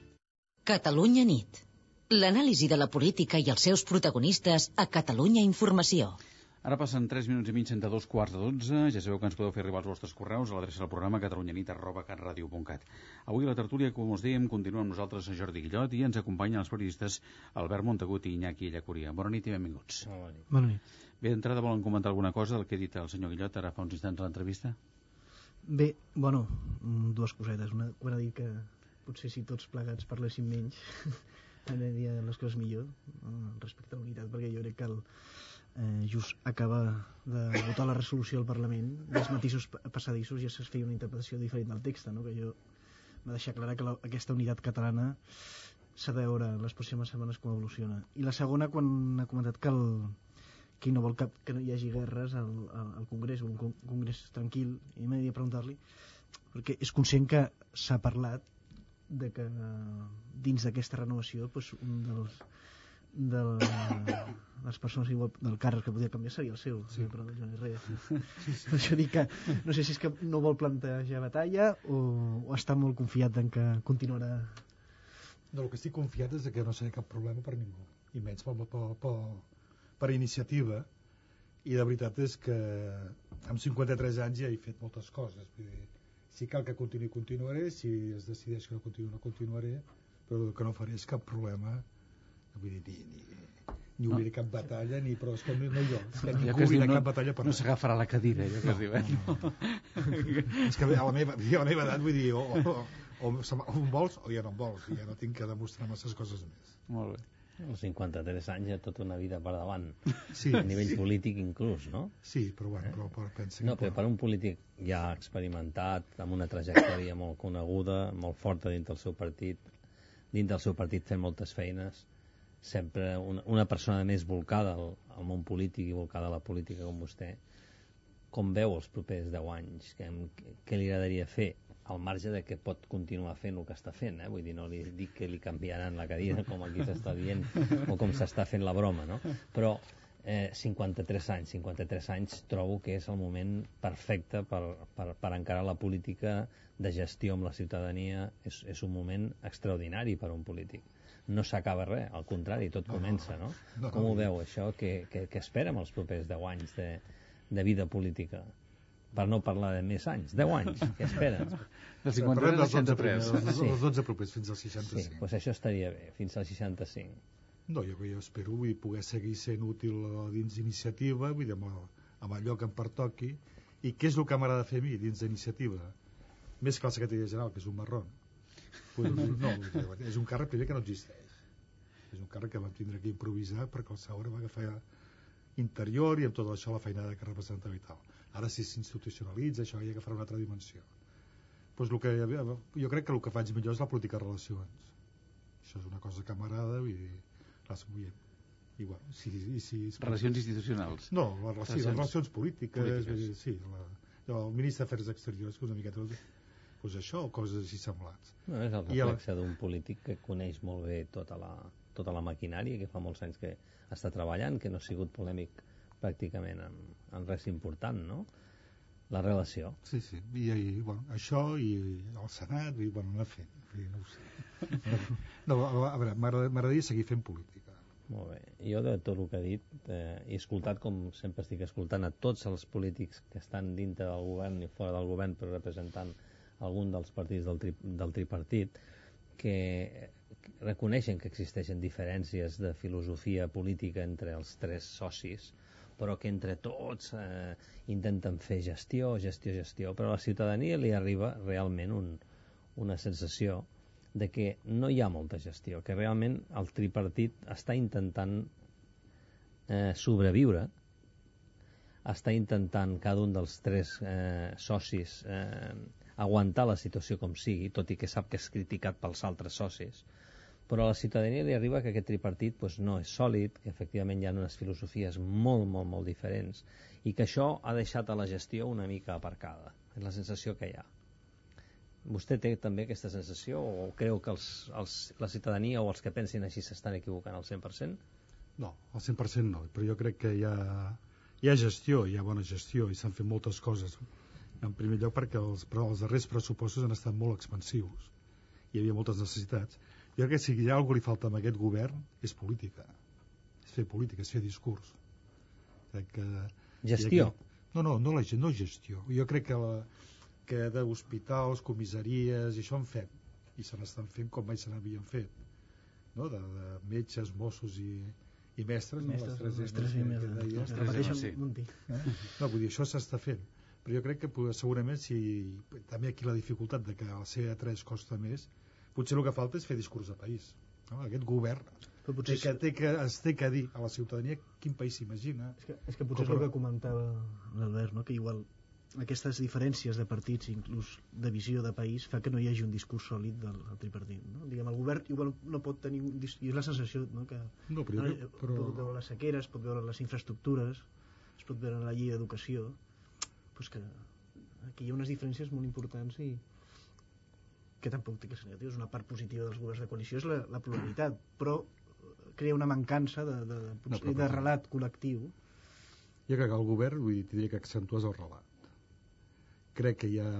Speaker 25: Catalunya nit. L'anàlisi de la política i els seus protagonistes a Catalunya Informació.
Speaker 2: Ara passen 3 minuts i mig entre 2:15. Ja sabeu que ens podeu fer arribar els vostres correus a l'adreça del programa catalunyanit@catradio.cat. Avui a la tertúlia, com us dèiem, continua amb nosaltres Jordi Guillot i ens acompanyen els periodistes Albert Montagut i Iñaki Llacuria. Bona nit i benvinguts.
Speaker 4: Bona nit.
Speaker 2: Bé, d'entrada volen comentar alguna cosa del que ha dit el senyor Guillot ara fa uns instants a l'entrevista?
Speaker 26: Bé, bueno, dues cosetes. Una, quan ha dit que potser si tots plegats parléssim menys anirien les coses millor respecte a la unitat, perquè jo crec que just acaba de votar la resolució al Parlament, dels matisos passadissos ja es feia una interpretació diferent del text, no? Que jo m'ha deixat clara que aquesta unitat catalana s'ha de veure en les pròximes setmanes com evoluciona. I la segona, quan ha comentat que no vol que no hi hagi guerres al Congrés, un Congrés tranquil, i m'he de preguntar-li, perquè és conscient que s'ha parlat de que dins d'aquesta renovació un de les persones igual del càrrec que podia canviar seria el seu, però el Joan Herrera. Per això dic que no sé si és que no vol plantejar batalla o està molt confiat en que continuarà.
Speaker 19: No, el que estic confiat és que no serà cap problema per ningú, i menys per iniciativa, i la veritat és que amb 53 anys ja he fet moltes coses. Vull dir, si cal que continuaré, si es decideix que no continuaré, però el que no faré és cap problema. Vull dir, ni obriré cap batalla, però és que no jo. Ni obriré cap batalla per
Speaker 2: no s'agafarà la cadira, allò que es diu.
Speaker 19: És que a la meva edat, vull dir, o em vols o ja no em vols, ja no tinc que demostrar masses coses més.
Speaker 2: Molt bé.
Speaker 27: Als 53 anys hi ha tota una vida per davant,
Speaker 19: sí,
Speaker 27: a nivell polític inclús, no?
Speaker 19: Sí, però bueno, pensa que...
Speaker 27: No, però per un polític ja experimentat, amb una trajectòria molt coneguda, molt forta dins del seu partit fent moltes feines, sempre una persona més volcada al món polític i volcada a la política com vostè, com veu els propers 10 anys? Què li agradaria fer? Al marge de que pot continuar fent el que està fent, vull dir, no li dic que li canviaran la cadira com aquí s'està dient o com s'està fent la broma, no? Però 53 anys trobo que és el moment perfecte per encarar la política de gestió amb la ciutadania. És un moment extraordinari per a un polític. No s'acaba res, al contrari, tot comença, no? Com ho veu, això? Què espera amb els propers 10 anys de vida política? Per no parlar de més anys, 10 anys, què esperen?
Speaker 2: Dels 53 als 63.
Speaker 19: Els 12 propers, fins als 65.
Speaker 27: Sí, doncs això estaria bé, fins als 65.
Speaker 19: No, jo espero poder seguir sent útil dins d'iniciativa, vull dir, amb allò que em pertoqui, I què és el que m'agrada fer a mi dins d'iniciativa? Més que la secretaria general, que és un marrón. No, és un càrrec primer que no existeix. És un càrrec que vam tindre que improvisar perquè el Saura va agafar interior i amb tot això la feinada que representava i tal. Ara si s'institucionalitza això ja agafarà una altra dimensió. Pues jo crec que el que faig millor és la política de relacions. Això és una cosa que m'agrada i bueno,
Speaker 2: relacions institucionals?
Speaker 19: No, les relacions polítiques. Sí, el ministre d'Afers Exteriors, que és una miqueta pues això, o coses així semblants.
Speaker 27: No, és el reflexe d'un polític que coneix molt bé tota la maquinària, que fa molts anys que està treballant, que no ha sigut polèmic pràcticament en res important, no? La relació.
Speaker 19: Sí, i bueno, això i el Senat, i bueno, anar fent, no ho sé. No, a veure, m'agradaria seguir fent política.
Speaker 27: Molt bé. Jo de tot el que ha dit he escoltat, com sempre estic escoltant, a tots els polítics que estan dintre del govern i fora del govern, però representant algun dels partits del tripartit, que reconeixen que existeixen diferències de filosofia política entre els tres socis, però que entre tots intenten fer gestió, però a la ciutadania li arriba realment una sensació de que no hi ha molta gestió, que realment el tripartit està intentant sobreviure, està intentant cada un dels tres socis aguantar la situació com sigui, tot i que sap que és criticat pels altres socis, però a la ciutadania li arriba que aquest tripartit no és sòlid, que efectivament hi ha unes filosofies molt diferents i que això ha deixat a la gestió una mica aparcada. És la sensació que hi ha. Vostè té també aquesta sensació o creu que la ciutadania o els que pensin així s'estan equivocant al 100%?
Speaker 19: No, al 100% no, però jo crec que hi ha gestió, hi ha bona gestió i s'han fet moltes coses. En primer lloc perquè els darrers pressupostos han estat molt expansius. Hi havia moltes necessitats. Jo crec que si hi ha alguna cosa li falta a aquest govern és política. És fer política, és fer discurs. Crec que...
Speaker 27: Gestió?
Speaker 19: No gestió. Jo crec que d'hospitals, comissaries, i això en fem. I se n'estan fent com mai se n'havien fet. No? De metges, Mossos i mestres.
Speaker 26: Les tres emes que deies.
Speaker 19: No, vull dir, això s'està fent. Però jo crec que segurament també aquí la dificultat de que el C3 costa més, potser el que falta és fer discurs de país. No? Aquest govern té que dir a la ciutadania quin país s'imagina.
Speaker 26: És que potser és el que comentava l'Albert, no? Que igual aquestes diferències de partits, inclús de visió de país, fa que no hi hagi un discurs sòlid del tripartit. No? Diguem, el govern igual no pot tenir un discurs, i és la sensació, no? Que pot veure les sequeres, pot veure les infraestructures, es pot veure la llei d'educació, pues que aquí hi ha unes diferències molt importants i que tampoc té que ser negatiu. És una part positiva dels governs de coalició, és la pluralitat, però crea una mancança de relat col·lectiu.
Speaker 19: Jo crec que el govern, diria que accentues el relat. Crec que hi ha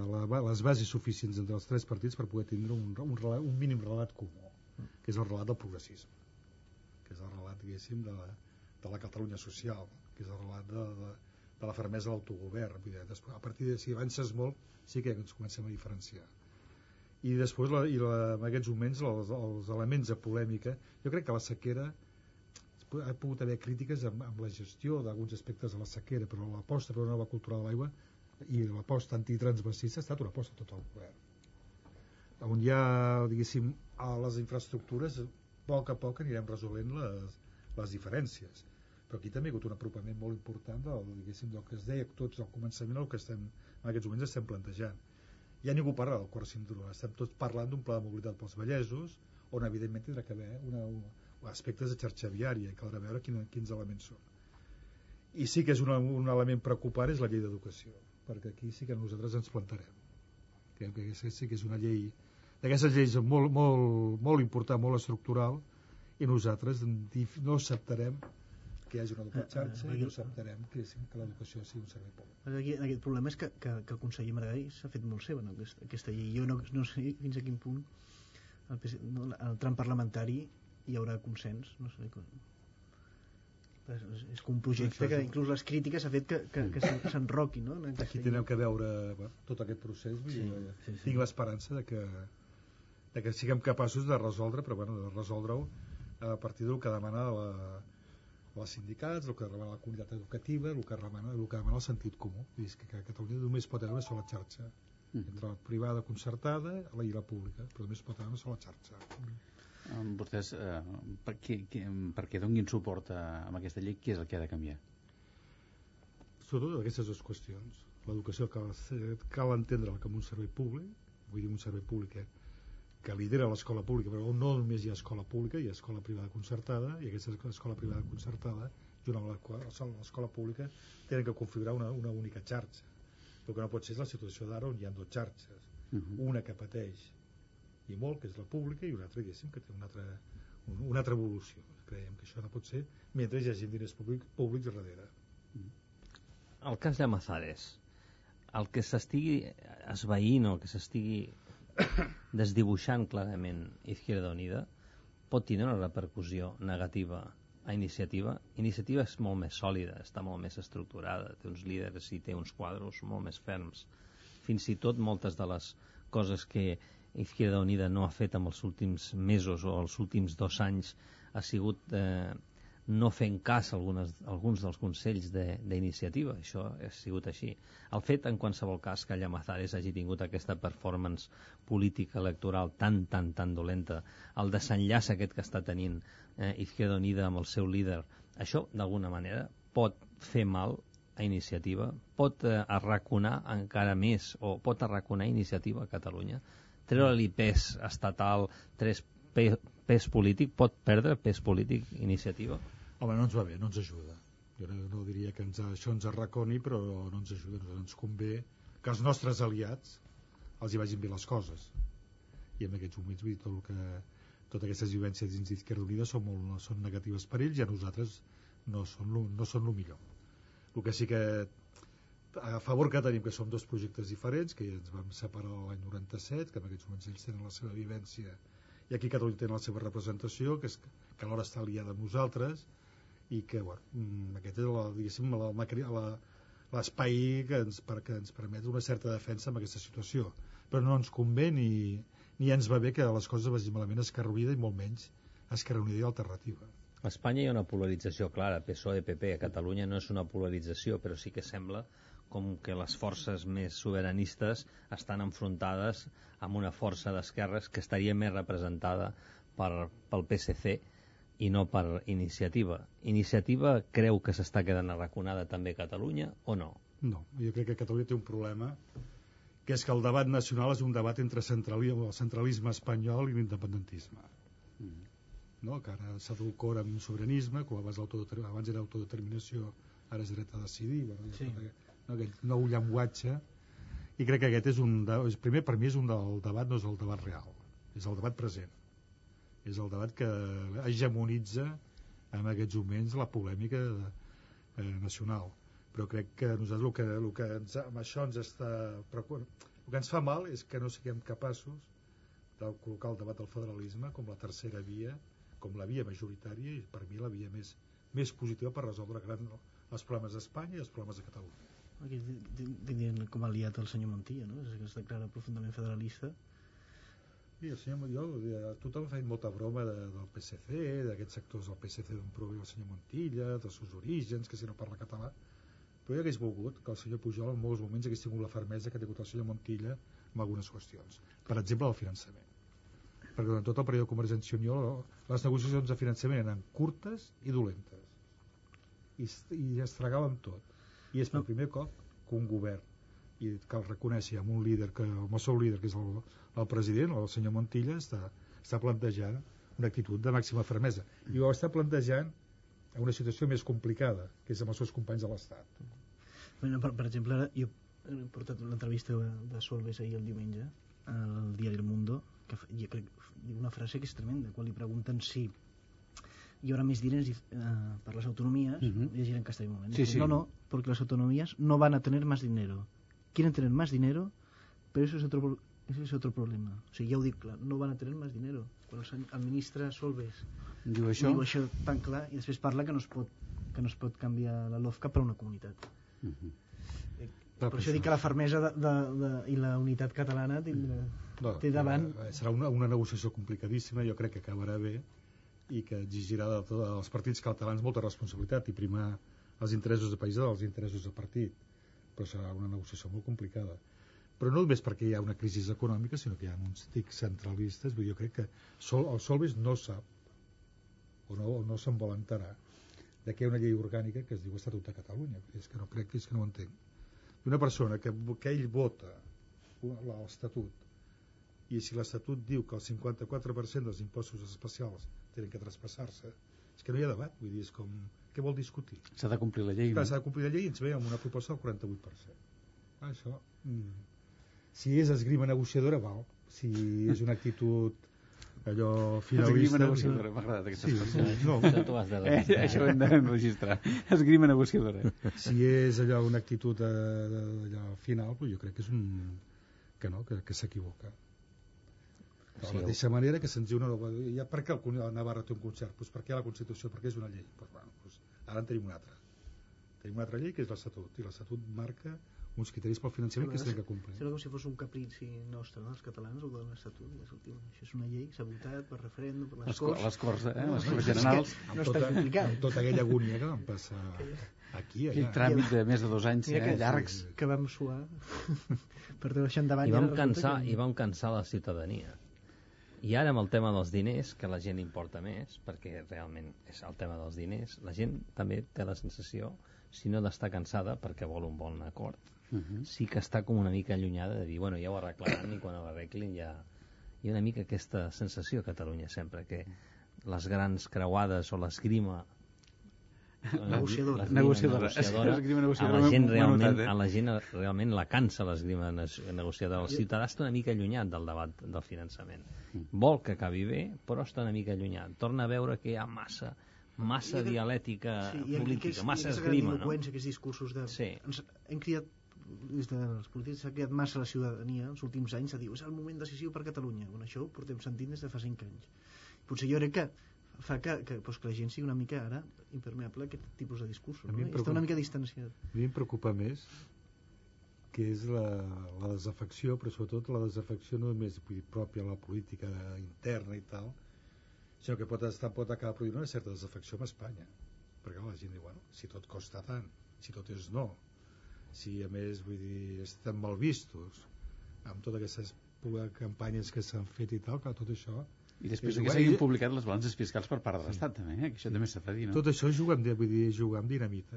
Speaker 19: les bases suficients entre els tres partits per poder tindre un mínim relat comú, que és el relat del progressisme, que és el relat, diguéssim, de la Catalunya social, que és el relat de la fermesa de l'autogovern. A partir de si avances molt, sí que ens comencem a diferenciar. I després, en aquests moments, els elements de polèmica, jo crec que la sequera ha pogut haver crítiques amb la gestió d'alguns aspectes de la sequera, però l'aposta per una nova cultura de l'aigua i l'aposta antitransvasista ha estat una aposta tot el govern. On hi ha, diguéssim, a les infraestructures, a poc anirem resolent les diferències. Però aquí també hi ha hagut un apropament molt important del que es deia tots al començament, el que en aquests moments estem plantejant. Ja ningú parla del quart cinturó, estem tots parlant d'un pla de mobilitat pels vallesos, on evidentment tindrà que haver aspectes de xarxa viària i caldrà veure quins elements són. I sí que és un element preocupant, és la llei d'educació, perquè aquí sí que nosaltres ens plantarem. Creiem que sí que és una llei d'aquestes lleis molt important, molt estructural, i nosaltres no acceptarem que hi hagi una doble xarxa i no acceptarem que l'educació sigui un servei públic.
Speaker 26: Aquest problema és que el conseller Maragall s'ha fet molt seva aquesta llei. Jo no sé fins a quin punt el tram parlamentari hi haurà consens, no sé com. És com un projecte que inclús les crítiques ha fet que s'enroqui, no?
Speaker 19: Aquí tindrem que veure tot aquest procés. Tinc l'esperança de que siguem capaços de resoldre, però de resoldre-ho a partir del que demana els sindicats, el que demana la comunitat educativa, el que demana el sentit comú. És que a Catalunya només pot haver una sola xarxa, entre la privada concertada i la pública, però només pot haver una sola xarxa.
Speaker 2: Vostès, perquè donin suport a aquesta llei, què és el que ha de canviar?
Speaker 19: Sobretot aquestes dues qüestions. L'educació cal entendre-la com un servei públic, vull dir un servei públic que lidera l'escola pública, però no només hi ha escola pública, hi ha escola privada concertada, i aquesta escola privada concertada, junt amb l'escola pública, tenen que configurar una única xarxa. El que no pot ser és la situació d'ara on hi ha dues xarxes. Una que pateix i molt, que és la pública, i una altra, diguéssim, que té una altra evolució. Creiem que això no pot ser mentre hi hagi diners públics darrere.
Speaker 27: El cas Llamazares, el que s'estigui esvaint o que s'estigui desdibuixant clarament Izquierda Unida pot tenir una repercussió negativa a Iniciativa. Iniciativa és molt més sòlida, està molt més estructurada, té uns líders i té uns quadros molt més ferms. Fins i tot moltes de les coses que Izquierda Unida no ha fet en els últims mesos o els últims 2 anys ha sigut no fent cas a alguns dels consells d'Iniciativa. Això ha sigut així. El fet, en qualsevol cas, que Llamazares hagi tingut aquesta performance política electoral tan dolenta, el desenllaç aquest que està tenint Izquierda Unida amb el seu líder, això, d'alguna manera, pot fer mal a Iniciativa, pot arraconar encara més, o pot arraconar Iniciativa a Catalunya, treure-li pes estatal, pes polític, pot perdre pes polític Iniciativa?
Speaker 19: Home, no ens va bé, no ens ajuda. Jo no diria que això ens arraconi, però no ens ajuda. Ens convé que els nostres aliats els hi vagin bé les coses. I en aquests moments, vull dir, totes aquestes vivències dins d'Izquierda Unida són negatives per ells i a nosaltres no són el millor. El que sí que a favor que tenim, que som dos projectes diferents, que ens vam separar l'any 97, que en aquests moments ells tenen la seva vivència i aquí Catalunya tenen la seva representació, que alhora està aliada amb nosaltres, i que aquest és l'espai que ens permet una certa defensa en aquesta situació, però no ens convé ni ens va bé que les coses vagin malament a Esquerra Unida i molt menys a Esquerra Unida i Alternativa.
Speaker 27: A Espanya hi ha una polarització clara, PSOE-PP. A Catalunya no és una polarització, però sí que sembla com que les forces més sobiranistes estan enfrontades amb una força d'esquerres que estaria més representada pel PSC i no per Iniciativa. Iniciativa creu que s'està quedant arraconada també a Catalunya o no?
Speaker 19: No, jo crec que Catalunya té un problema, que és que el debat nacional és un debat entre el centralisme espanyol i l'independentisme. No? Que ara s'adulcora amb un sobiranisme, que abans era autodeterminació, ara és dret a decidir, aquest nou llenguatge, i crec que aquest és primer, per mi és el debat, no és el debat real, és el debat present. És el debat que hegemonitza en aquests moments la polèmica nacional. Però crec que nosaltres el que amb això ens està preocupant, el que ens fa mal és que no siguem capaços de col·locar el debat del federalisme com la tercera via, com la via majoritària i per mi la via més positiva per resoldre els problemes d'Espanya i els problemes de Catalunya.
Speaker 26: Aquí tindrien com a aliat el senyor Montilla, no? És que es declara profundament federalista.
Speaker 19: Sí, tothom ha fet molta broma del PSC, d'aquests sectors del PSC d'on prové el senyor Montilla, dels seus orígens, que si no parla català, però jo hagués volgut que el senyor Pujol en molts moments hagués tingut la fermesa que ha tingut el senyor Montilla en algunes qüestions, per exemple el finançament, perquè durant tot el període de Convergència i Unió les negociacions de finançament eren curtes i dolentes i es fregàvem tot, i és per primer cop que un govern, i cal reconèixer amb un líder, amb el seu líder, que és el president, el senyor Montilla, està plantejant una actitud de màxima fermesa, i ho està plantejant en una situació més complicada, que és amb els seus companys de l'Estat.
Speaker 26: Bueno, per exemple, jo he portat l'entrevista de Solbes ahir el diumenge al diari El Mundo, que jo crec una frase que és tremenda, quan li pregunten si hi haurà més diners per les autonomies, llegiré en castellà un moment.
Speaker 2: Sí.
Speaker 26: No, porque las autonomías no van a tener más dinero. Quieren tener más dinero, pero eso es otro problema. O sigui, ja ho dic clar, no van a tener más dinero. Quan el ministre Solbes diu això tan clar, i després parla que no es pot canviar la LOFCA per una comunitat. Per això dic que la fermesa i la unitat catalana té davant...
Speaker 19: Serà una negociació complicadíssima, jo crec que acabarà bé, i que exigirà dels partits catalans molta responsabilitat i primar els interessos de país dels interessos de partit, però serà una negociació molt complicada, però no només perquè hi ha una crisi econòmica, sinó que hi ha uns tics centralistes. Jo crec que el Solbes no sap o no se'n vol enterar de que hi ha una llei orgànica que es diu Estatut de Catalunya. És que no ho entenc. Una persona que ell vota l'Estatut, i si l'Estatut diu que el 54% dels impostos especials tenen que traspassar-se, és que no hi ha debat. Vull dir, és com... Què vol discutir?
Speaker 2: S'ha de complir la llei.
Speaker 19: S'ha de complir la llei i ens ve amb una proposta del 48%. Això... Si és esgrima negociadora, val. Si és una actitud allò finalista...
Speaker 2: Esgrima negociadora, m'ha agradat aquesta expressió. Això ho hem d'enregistrar. Esgrima negociadora.
Speaker 19: Si és allò una actitud allò final, jo crec que és que s'equivoca. De la mateixa manera que se'ns diu per què el Navarra té un concert? Per què la Constitució? Perquè és una llei. Ara en tenim una altra. Tenim una altra llei que és l'Estatut, i l'Estatut marca uns criteris pel finançament que s'han de complir.
Speaker 26: Sembla com si fos un caprici nostre, no? Els catalans, el de l'Estatut. Això és una llei, s'ha votat per referèndum, per les Corts.
Speaker 2: Les Corts Generals.
Speaker 26: No està complicat.
Speaker 19: Amb tota aquella agònia que vam passar aquí, allà.
Speaker 2: Aquell tràmit de més de 2 anys llargs.
Speaker 26: Que vam suar per deixar endavant.
Speaker 27: I vam cansar la ciutadania. I ara amb el tema dels diners, que la gent importa més, perquè realment és el tema dels diners, la gent també té la sensació, si no d'estar cansada perquè vol un bon acord, sí que està com una mica allunyada de dir, bueno, ja ho arreglaran i quan ho arreglin ja... Hi ha una mica aquesta sensació a Catalunya sempre, que les grans creuades o l'esgrima
Speaker 26: negociadora
Speaker 27: a la gent realment la cansa l'esgrima negociadora. El ciutadà està una mica allunyat del debat del finançament, vol que acabi bé però està una mica allunyat, torna a veure que hi ha massa dialèctica política, massa esgrima, no?
Speaker 26: Aquests discursos hem criat des dels polítics, s'ha creat massa la ciutadania els últims anys a dir, és el moment decisiu per Catalunya. Això ho portem sentint des de fa 5 anys. Potser jo crec que fa que la gent sigui una mica ara impermeable a aquest tipus de discursos, no? Està una mica distanciat.
Speaker 19: A mi em preocupa més que és la desafecció, però sobretot la desafecció no només pròpia a la política interna i tal, sinó que pot acabar produint una certa desafecció amb Espanya, perquè la gent diu, bueno, si tot costa tant, si tot és no, si a més estem mal vistos amb totes aquestes campanyes que s'han fet i tal, clar, tot això.
Speaker 2: I després que s'hagin publicat les balances fiscals per part de l'Estat, també, que això també s'ha de dir, no?
Speaker 19: Tot això jugar amb dinamita.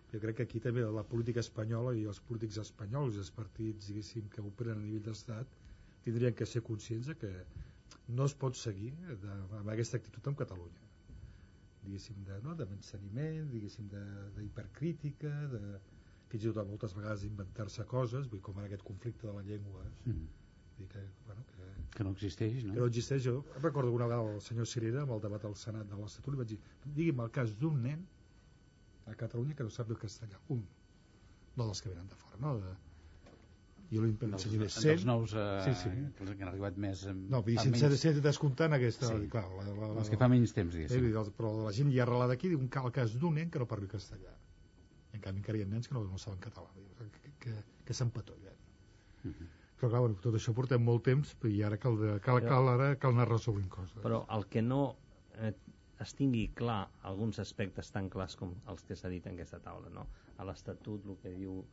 Speaker 19: Jo crec que aquí també la política espanyola i els polítics espanyols i els partits, diguéssim, que operen a nivell d'Estat tindrien que ser conscients que no es pot seguir amb aquesta actitud amb Catalunya. Diguéssim, de menysteniment, diguéssim, d'hipercrítica, fins i tot moltes vegades d'inventar-se coses, com en aquest conflicte de la llengua.
Speaker 2: Que no existeix, no?
Speaker 19: Que no existeix. Jo recordo una vegada el senyor Cirera amb el debat al Senat de l'Estatut li vaig dir, digui'm el cas d'un nen a Catalunya que no sap el castellà, un, no dels que venen de fora, no? Jo li ensenyaré 100.
Speaker 2: Dels nous que han arribat més...
Speaker 19: No, sense ser descomptant aquesta...
Speaker 2: Els que fa menys temps, diguéssim.
Speaker 19: Però la gent ja arrelada aquí diu el cas d'un nen que no parli castellà. En canvi encara hi ha nens que no saben català, que s'empatollen. Però clar, tot això portem molt temps i ara cal anar resolent coses.
Speaker 27: Però el que no es tingui clar alguns aspectes tan clars com els que s'ha dit en aquesta taula, no? A l'Estatut, el que diu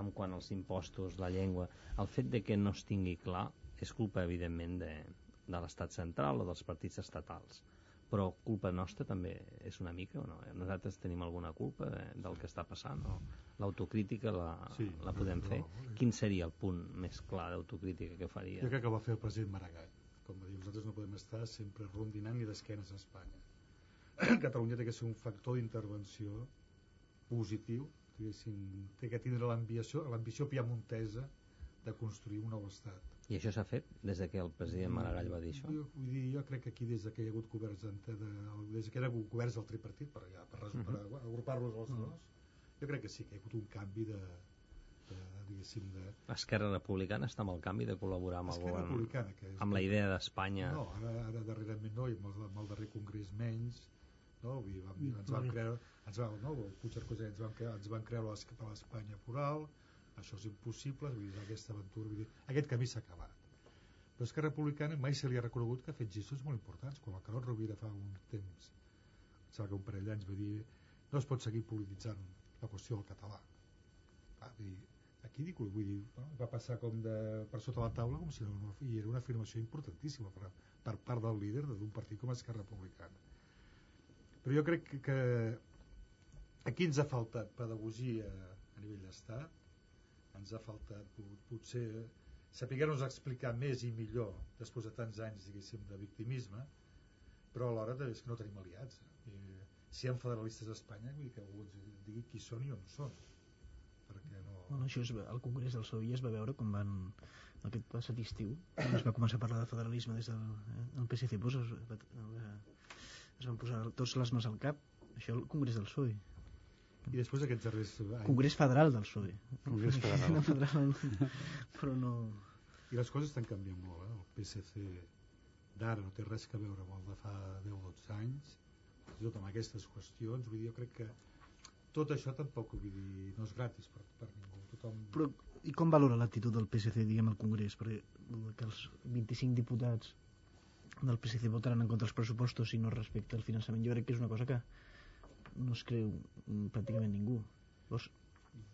Speaker 27: en quant als impostos, la llengua, el fet de que no es tingui clar és culpa evidentment de l'Estat central o dels partits estatals, però culpa nostra també és una mica o no? Nosaltres tenim alguna culpa del que està passant o l'autocrítica la podem fer? Quin seria el punt més clar d'autocrítica que faria?
Speaker 19: Jo crec que va fer el president Maragall, com va dir, nosaltres no podem estar sempre rondinant ni d'esquenes a Espanya. Catalunya té que ser un factor d'intervenció positiu, té que tindre l'ambició piamontesa de construir un nou estat.
Speaker 27: I això s'ha fet des que el president Maragall va dir això?
Speaker 19: Jo crec que aquí des que hi ha hagut governs des que hi ha hagut governs del tripartit per agrupar-los els dos, jo crec que sí que hi ha hagut un canvi diguéssim
Speaker 27: Esquerra Republicana està amb el canvi de col·laborar amb el govern amb la idea d'Espanya?
Speaker 19: No, ara darrerament no, i amb el darrer congrés menys, no? Ens van creure ens van creure a l'Espanya plural, això és impossible, aquesta aventura, aquest camí s'ha acabat. Però Esquerra Republicana mai se li ha reconegut que ha fet gestos molt importants. Quan el Carod Rovira fa un temps, sembla que un parell d'anys va dir no es pot seguir polititzant la qüestió del català. Aquí vull dir, va passar com per sota la taula com si no, i era una afirmació importantíssima per part del líder d'un partit com Esquerra Republicana. Però jo crec que aquí ens ha faltat pedagogia a nivell d'estat, ens ha faltat potser saber-nos explicar més i millor després de tants anys, diguéssim, de victimisme, però alhora és que no tenim aliats. Si hi ha federalistes a Espanya, vull dir que algú ens digui qui són i on són. Perquè no...
Speaker 26: Bueno, això al Congrés del PSOE es va veure com van, aquest passat estiu, quan es va començar a parlar de federalisme des del PSC, pues es van posar tots les mans al cap. Això al Congrés del PSOE.
Speaker 19: I després d'aquests darrers anys...
Speaker 26: Congrés federal del PSOE.
Speaker 19: Congrés federal.
Speaker 26: No federal, però no...
Speaker 19: I les coses estan canviant molt, El PSC d'ara no té res a veure amb el de fa 10 o 12 anys, tot amb aquestes qüestions. Vull dir, jo crec que tot això tampoc, vull dir, no és gratis per ningú.
Speaker 26: Però, i com valora l'actitud del PSC, diguem, al Congrés? Perquè que els 25 diputats del PSC votaran en contra dels pressupostos si no es respecta el finançament, jo crec que és una cosa que no es creu pràcticament ningú.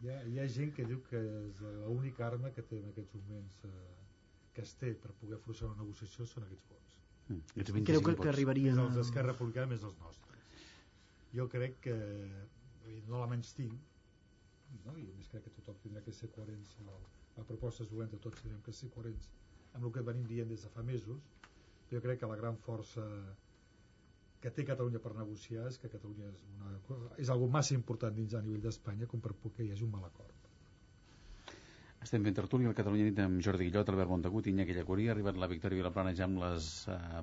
Speaker 19: Hi ha gent que diu que és l'única arma que té en aquests moments que es té per poder forçar una negociació són aquests vots.
Speaker 26: Creu que arribaria...
Speaker 19: Els d'Esquerra Republicana més els nostres. Jo crec que no la menys tinc, no? I a més crec que tothom tindrà que ser coherents, la proposta és dolenta, tots tindrem que ser coherents amb el que venim dient des de fa mesos. Jo crec que la gran força que té Catalunya per negociar és que Catalunya és algo massa important dins a nivell d'Espanya com per que hi hagi un mal acord.
Speaker 2: Estem fent tertúlia al Catalunya Nit amb Jordi Guillot, Albert Montagut i Iñaki Llacurí. Ha arribat la Victòria Vilaplana ja amb les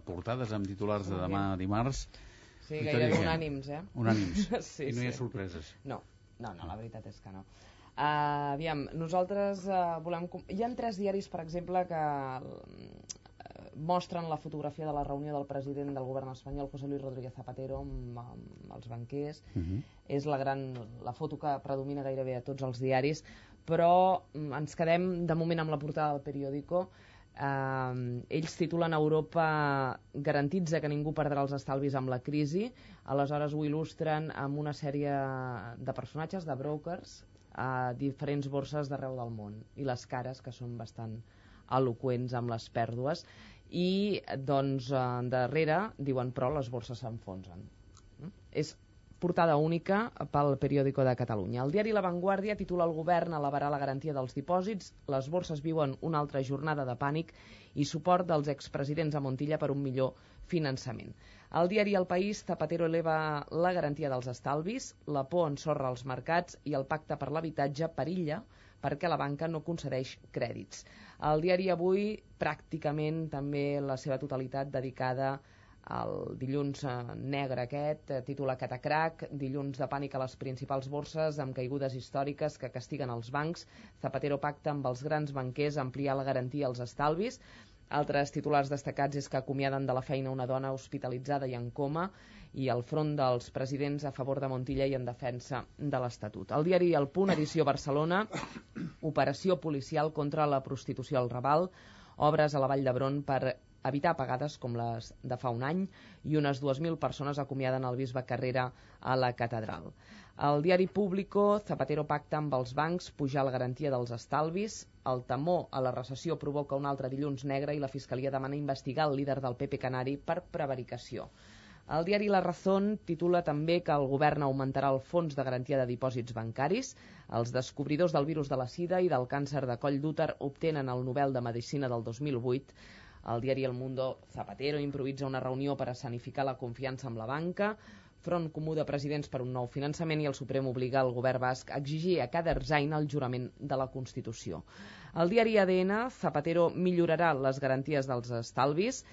Speaker 2: portades, amb titulars de demà dimarts.
Speaker 22: Sí, gairebé unànims,
Speaker 2: Unànims.
Speaker 22: Sí,
Speaker 2: I no hi ha sorpreses.
Speaker 22: No, la veritat és que no. Aviam, nosaltres volem... Hi ha 3 diaris, per exemple, que mostren la fotografia de la reunió del president del govern espanyol, José Luis Rodríguez Zapatero, amb els banquers. És la foto que predomina gairebé a tots els diaris, però ens quedem de moment amb la portada del Periódico. Ells titulen Europa garantitza que ningú perdrà els estalvis amb la crisi. Aleshores ho il·lustren amb una sèrie de personatges, de brokers, a diferents borses d'arreu del món, i les cares, que són bastant eloqüents amb les pèrdues, i doncs darrere diuen però les borses s'enfonsen. És portada única pel Periódico de Catalunya. El diari La Vanguardia titula El govern elevarà la garantia dels dipòsits, les borses viuen una altra jornada de pànic i suport dels expresidents a Montilla per un millor finançament. El diari El País, Zapatero eleva la garantia dels estalvis, la por ensorra els mercats i el pacte per l'habitatge perilla perquè la banca no concedeix crèdits. El diari Avui, pràcticament també la seva totalitat dedicada al dilluns negre aquest, titula Catacrac, dilluns de pànic a les principals borses amb caigudes històriques que castiguen els bancs. Zapatero pacta amb els grans banquers ampliar la garantia als estalvis. Altres titulars destacats és que acomiaden de la feina una dona hospitalitzada i en coma, i el front dels presidents a favor de Montilla i en defensa de l'Estatut. El diari El Punt, edició Barcelona, operació policial contra la prostitució al Raval, obres a la Vall d'Hebron per evitar apagades com les de fa un any, i unes 2.000 persones acomiaden el bisbe Carrera a la catedral. El diari Público, Zapatero pacta amb els bancs pujar la garantia dels estalvis, el temor a la recessió provoca un altre dilluns negre i la Fiscalia demana investigar el líder del PP Canari per prevaricació. El diari La Razón titula també que el govern augmentarà el fons de garantia de dipòsits bancaris. Els descobridors del virus de la sida i del càncer de coll d'úter obtenen el Nobel de Medicina del 2008. El diari El Mundo, Zapatero improvisa una reunió per escenificar la confiança amb la banca. Front Comú de Presidents per un nou finançament, i el Suprem obliga el govern basc a exigir a cada Erzain el jurament de la Constitució. El diari ADN, Zapatero millorarà les garanties dels estalvis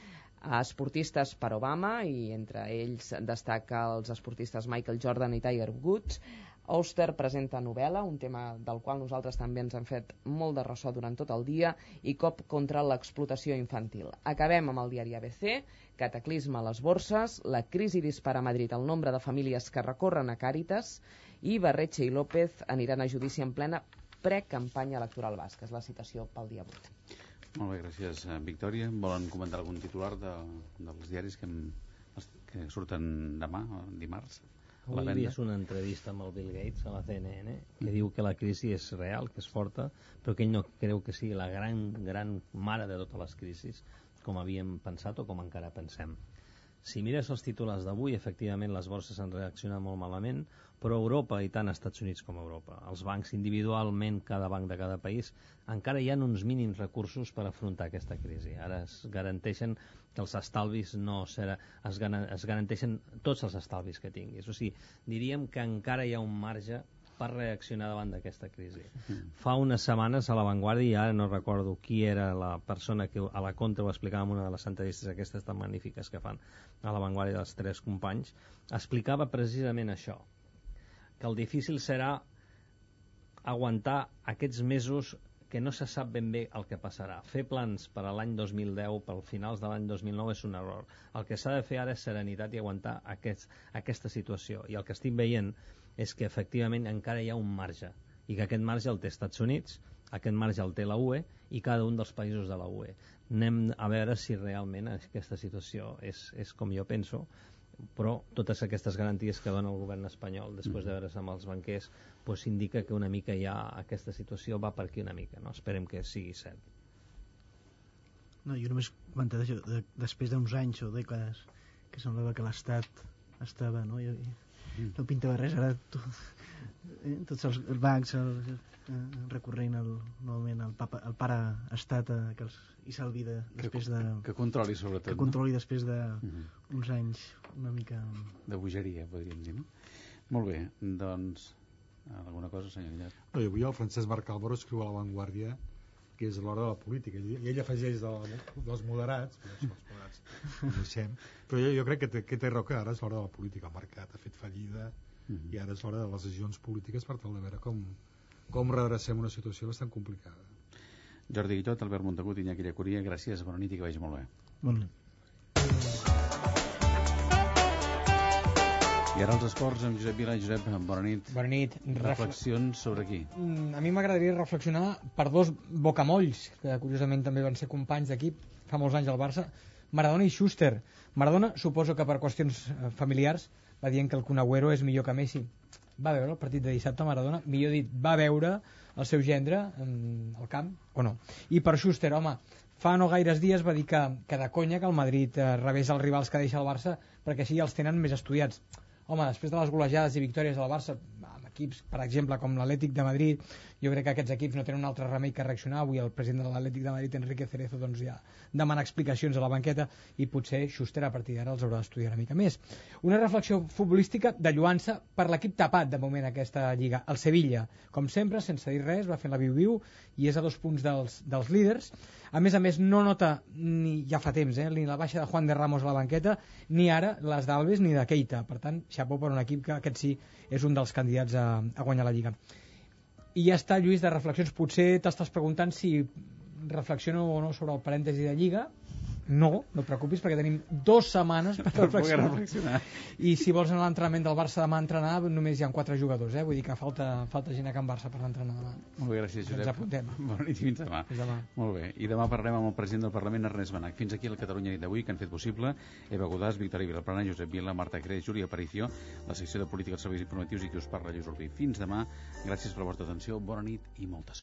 Speaker 22: a esportistes per Obama, i entre ells destaca els esportistes Michael Jordan i Tiger Woods. Auster presenta novel·la, un tema del qual nosaltres també ens hem fet molt de ressò durant tot el dia, i cop contra l'explotació infantil. Acabem amb el diari ABC, cataclisme a les borses, la crisi dispara a Madrid el nombre de famílies que recorren a Càritas, i Barretxe i López aniran a judici en plena precampanya electoral basca. És la citació pel dia 8.
Speaker 2: Molt bé, gràcies, Victòria. Volen comentar algun titular dels diaris que surten demà, dimarts?
Speaker 27: Avui he vist una entrevista amb el Bill Gates a la CNN que diu que la crisi és real, que és forta, però que ell no creu que sigui la gran mare de totes les crisis, com havíem pensat o com encara pensem. Si mires els titulars d'avui, efectivament les borses han reaccionat molt malament, però Europa, i tant Estats Units com Europa, els bancs individualment, cada banc de cada país, encara hi ha uns mínims recursos per afrontar aquesta crisi. Ara es garanteixen que els estalvis es garanteixen tots els estalvis que tinguis. O sigui, diríem que encara hi ha un marge per reaccionar davant d'aquesta crisi. Fa unes setmanes a La Vanguardia, i ara no recordo qui era la persona que a la contra ho explicava en una de les entrevistes aquestes tan magnífiques que fan a La Vanguardia dels tres companys, explicava precisament això, que el difícil serà aguantar aquests mesos que no se sap ben bé el que passarà. Fer plans per a l'any 2010, per finals de l'any 2009, és un error. El que s'ha de fer ara és serenitat i aguantar aquesta situació. I el que estic veient és que efectivament encara hi ha un marge, i que aquest marge el té Estats Units, aquest marge el té la UE i cada un dels països de la UE. Anem a veure si realment aquesta situació és com jo penso, però totes aquestes garanties que dona el govern espanyol després de veure's amb els banquers indica que una mica ja aquesta situació va per aquí una mica, no? Esperem que sigui cert.
Speaker 26: No, jo només comentar això, després d'uns anys o dècades que semblava que l'Estat estava, no? No pintava res, ara tots els bancs recorrent novament el pare estat i salvi després de...
Speaker 2: Que controli sobretot.
Speaker 26: Que controli després d'uns anys una mica...
Speaker 2: De bogeria, podríem dir, no? Molt bé, doncs... Alguna cosa, senyor Guillet?
Speaker 19: No, i avui el Francesc Marc Álvaro escriu a La Vanguardia que és l'hora de la política, i ell afegeix dels moderats, però això, els moderats ho deixem, però jo crec que té raó, que ara és l'hora de la política. El mercat ha fet fallida i ara és l'hora de les decisions polítiques per tal de veure com redrecem una situació bastant complicada.
Speaker 2: Jordi Guillot, Albert Montagut, Iñaki Llacuria, gràcies, bona nit i que vagi molt bé.
Speaker 26: Bona nit.
Speaker 2: I ara els esports amb Josep Vila. Josep, bona nit.
Speaker 4: Bona nit.
Speaker 2: Reflexions sobre qui?
Speaker 4: A mi m'agradaria reflexionar per dos bocamolls, que curiosament també van ser companys d'equip fa molts anys al Barça, Maradona i Schuster. Maradona, suposo que per qüestions familiars, va dient que el Kun Agüero és millor que Messi. Va veure el partit de dissabte Maradona? Millor dit, va veure el seu gendre al camp o no? I per Schuster, home, fa no gaires dies va dir que de conya que el Madrid rebés els rivals que deixa el Barça perquè així els tenen més estudiats. Home, després de les golejades i victòries del Barça amb equips, per exemple, com l'Atlètic de Madrid, jo crec que aquests equips no tenen un altre remei que reaccionar. Avui el president de l'Atlètic de Madrid, Enrique Cerezo, doncs ja demana explicacions a la banqueta i potser Schuster a partir d'ara els haurà d'estudiar una mica més. Una reflexió futbolística de lluança per l'equip tapat de moment aquesta Lliga, el Sevilla. Com sempre, sense dir res, va fent la viu-viu i és a 2 punts dels líders. A més, no nota, ja fa temps, ni la baixa de Juan de Ramos a la banqueta, ni ara les d'Alves ni de Keita. Per tant, xapó per un equip que aquest sí és un dels candidats a guanyar la Lliga. I ja està, Lluís, de reflexions. Potser t'estàs preguntant si reflexiono o no sobre el parèntesi de Lliga. No et preocupis, perquè tenim 2 setmanes per reflexionar. I si vols anar a l'entrenament del Barça demà a entrenar, només hi ha 4 jugadors, vull dir que falta gent a Can Barça per l'entrenar demà.
Speaker 2: Molt bé, gràcies, Josep.
Speaker 4: Ens apuntem.
Speaker 2: Bona nit i fins demà. Molt bé, i demà parlem amb el president del Parlament, Ernest Benach. Fins aquí la Catalunya nit d'avui, que han fet possible Eva Godàs, Victòria Vilaplana, Josep Vila, Marta Creix, Júlia Aparicio, la secció de Política dels Serveis Informatius i qui us parla, Lluís Urbí. Fins demà, gràcies per la vostra atenció, bona nit i moltes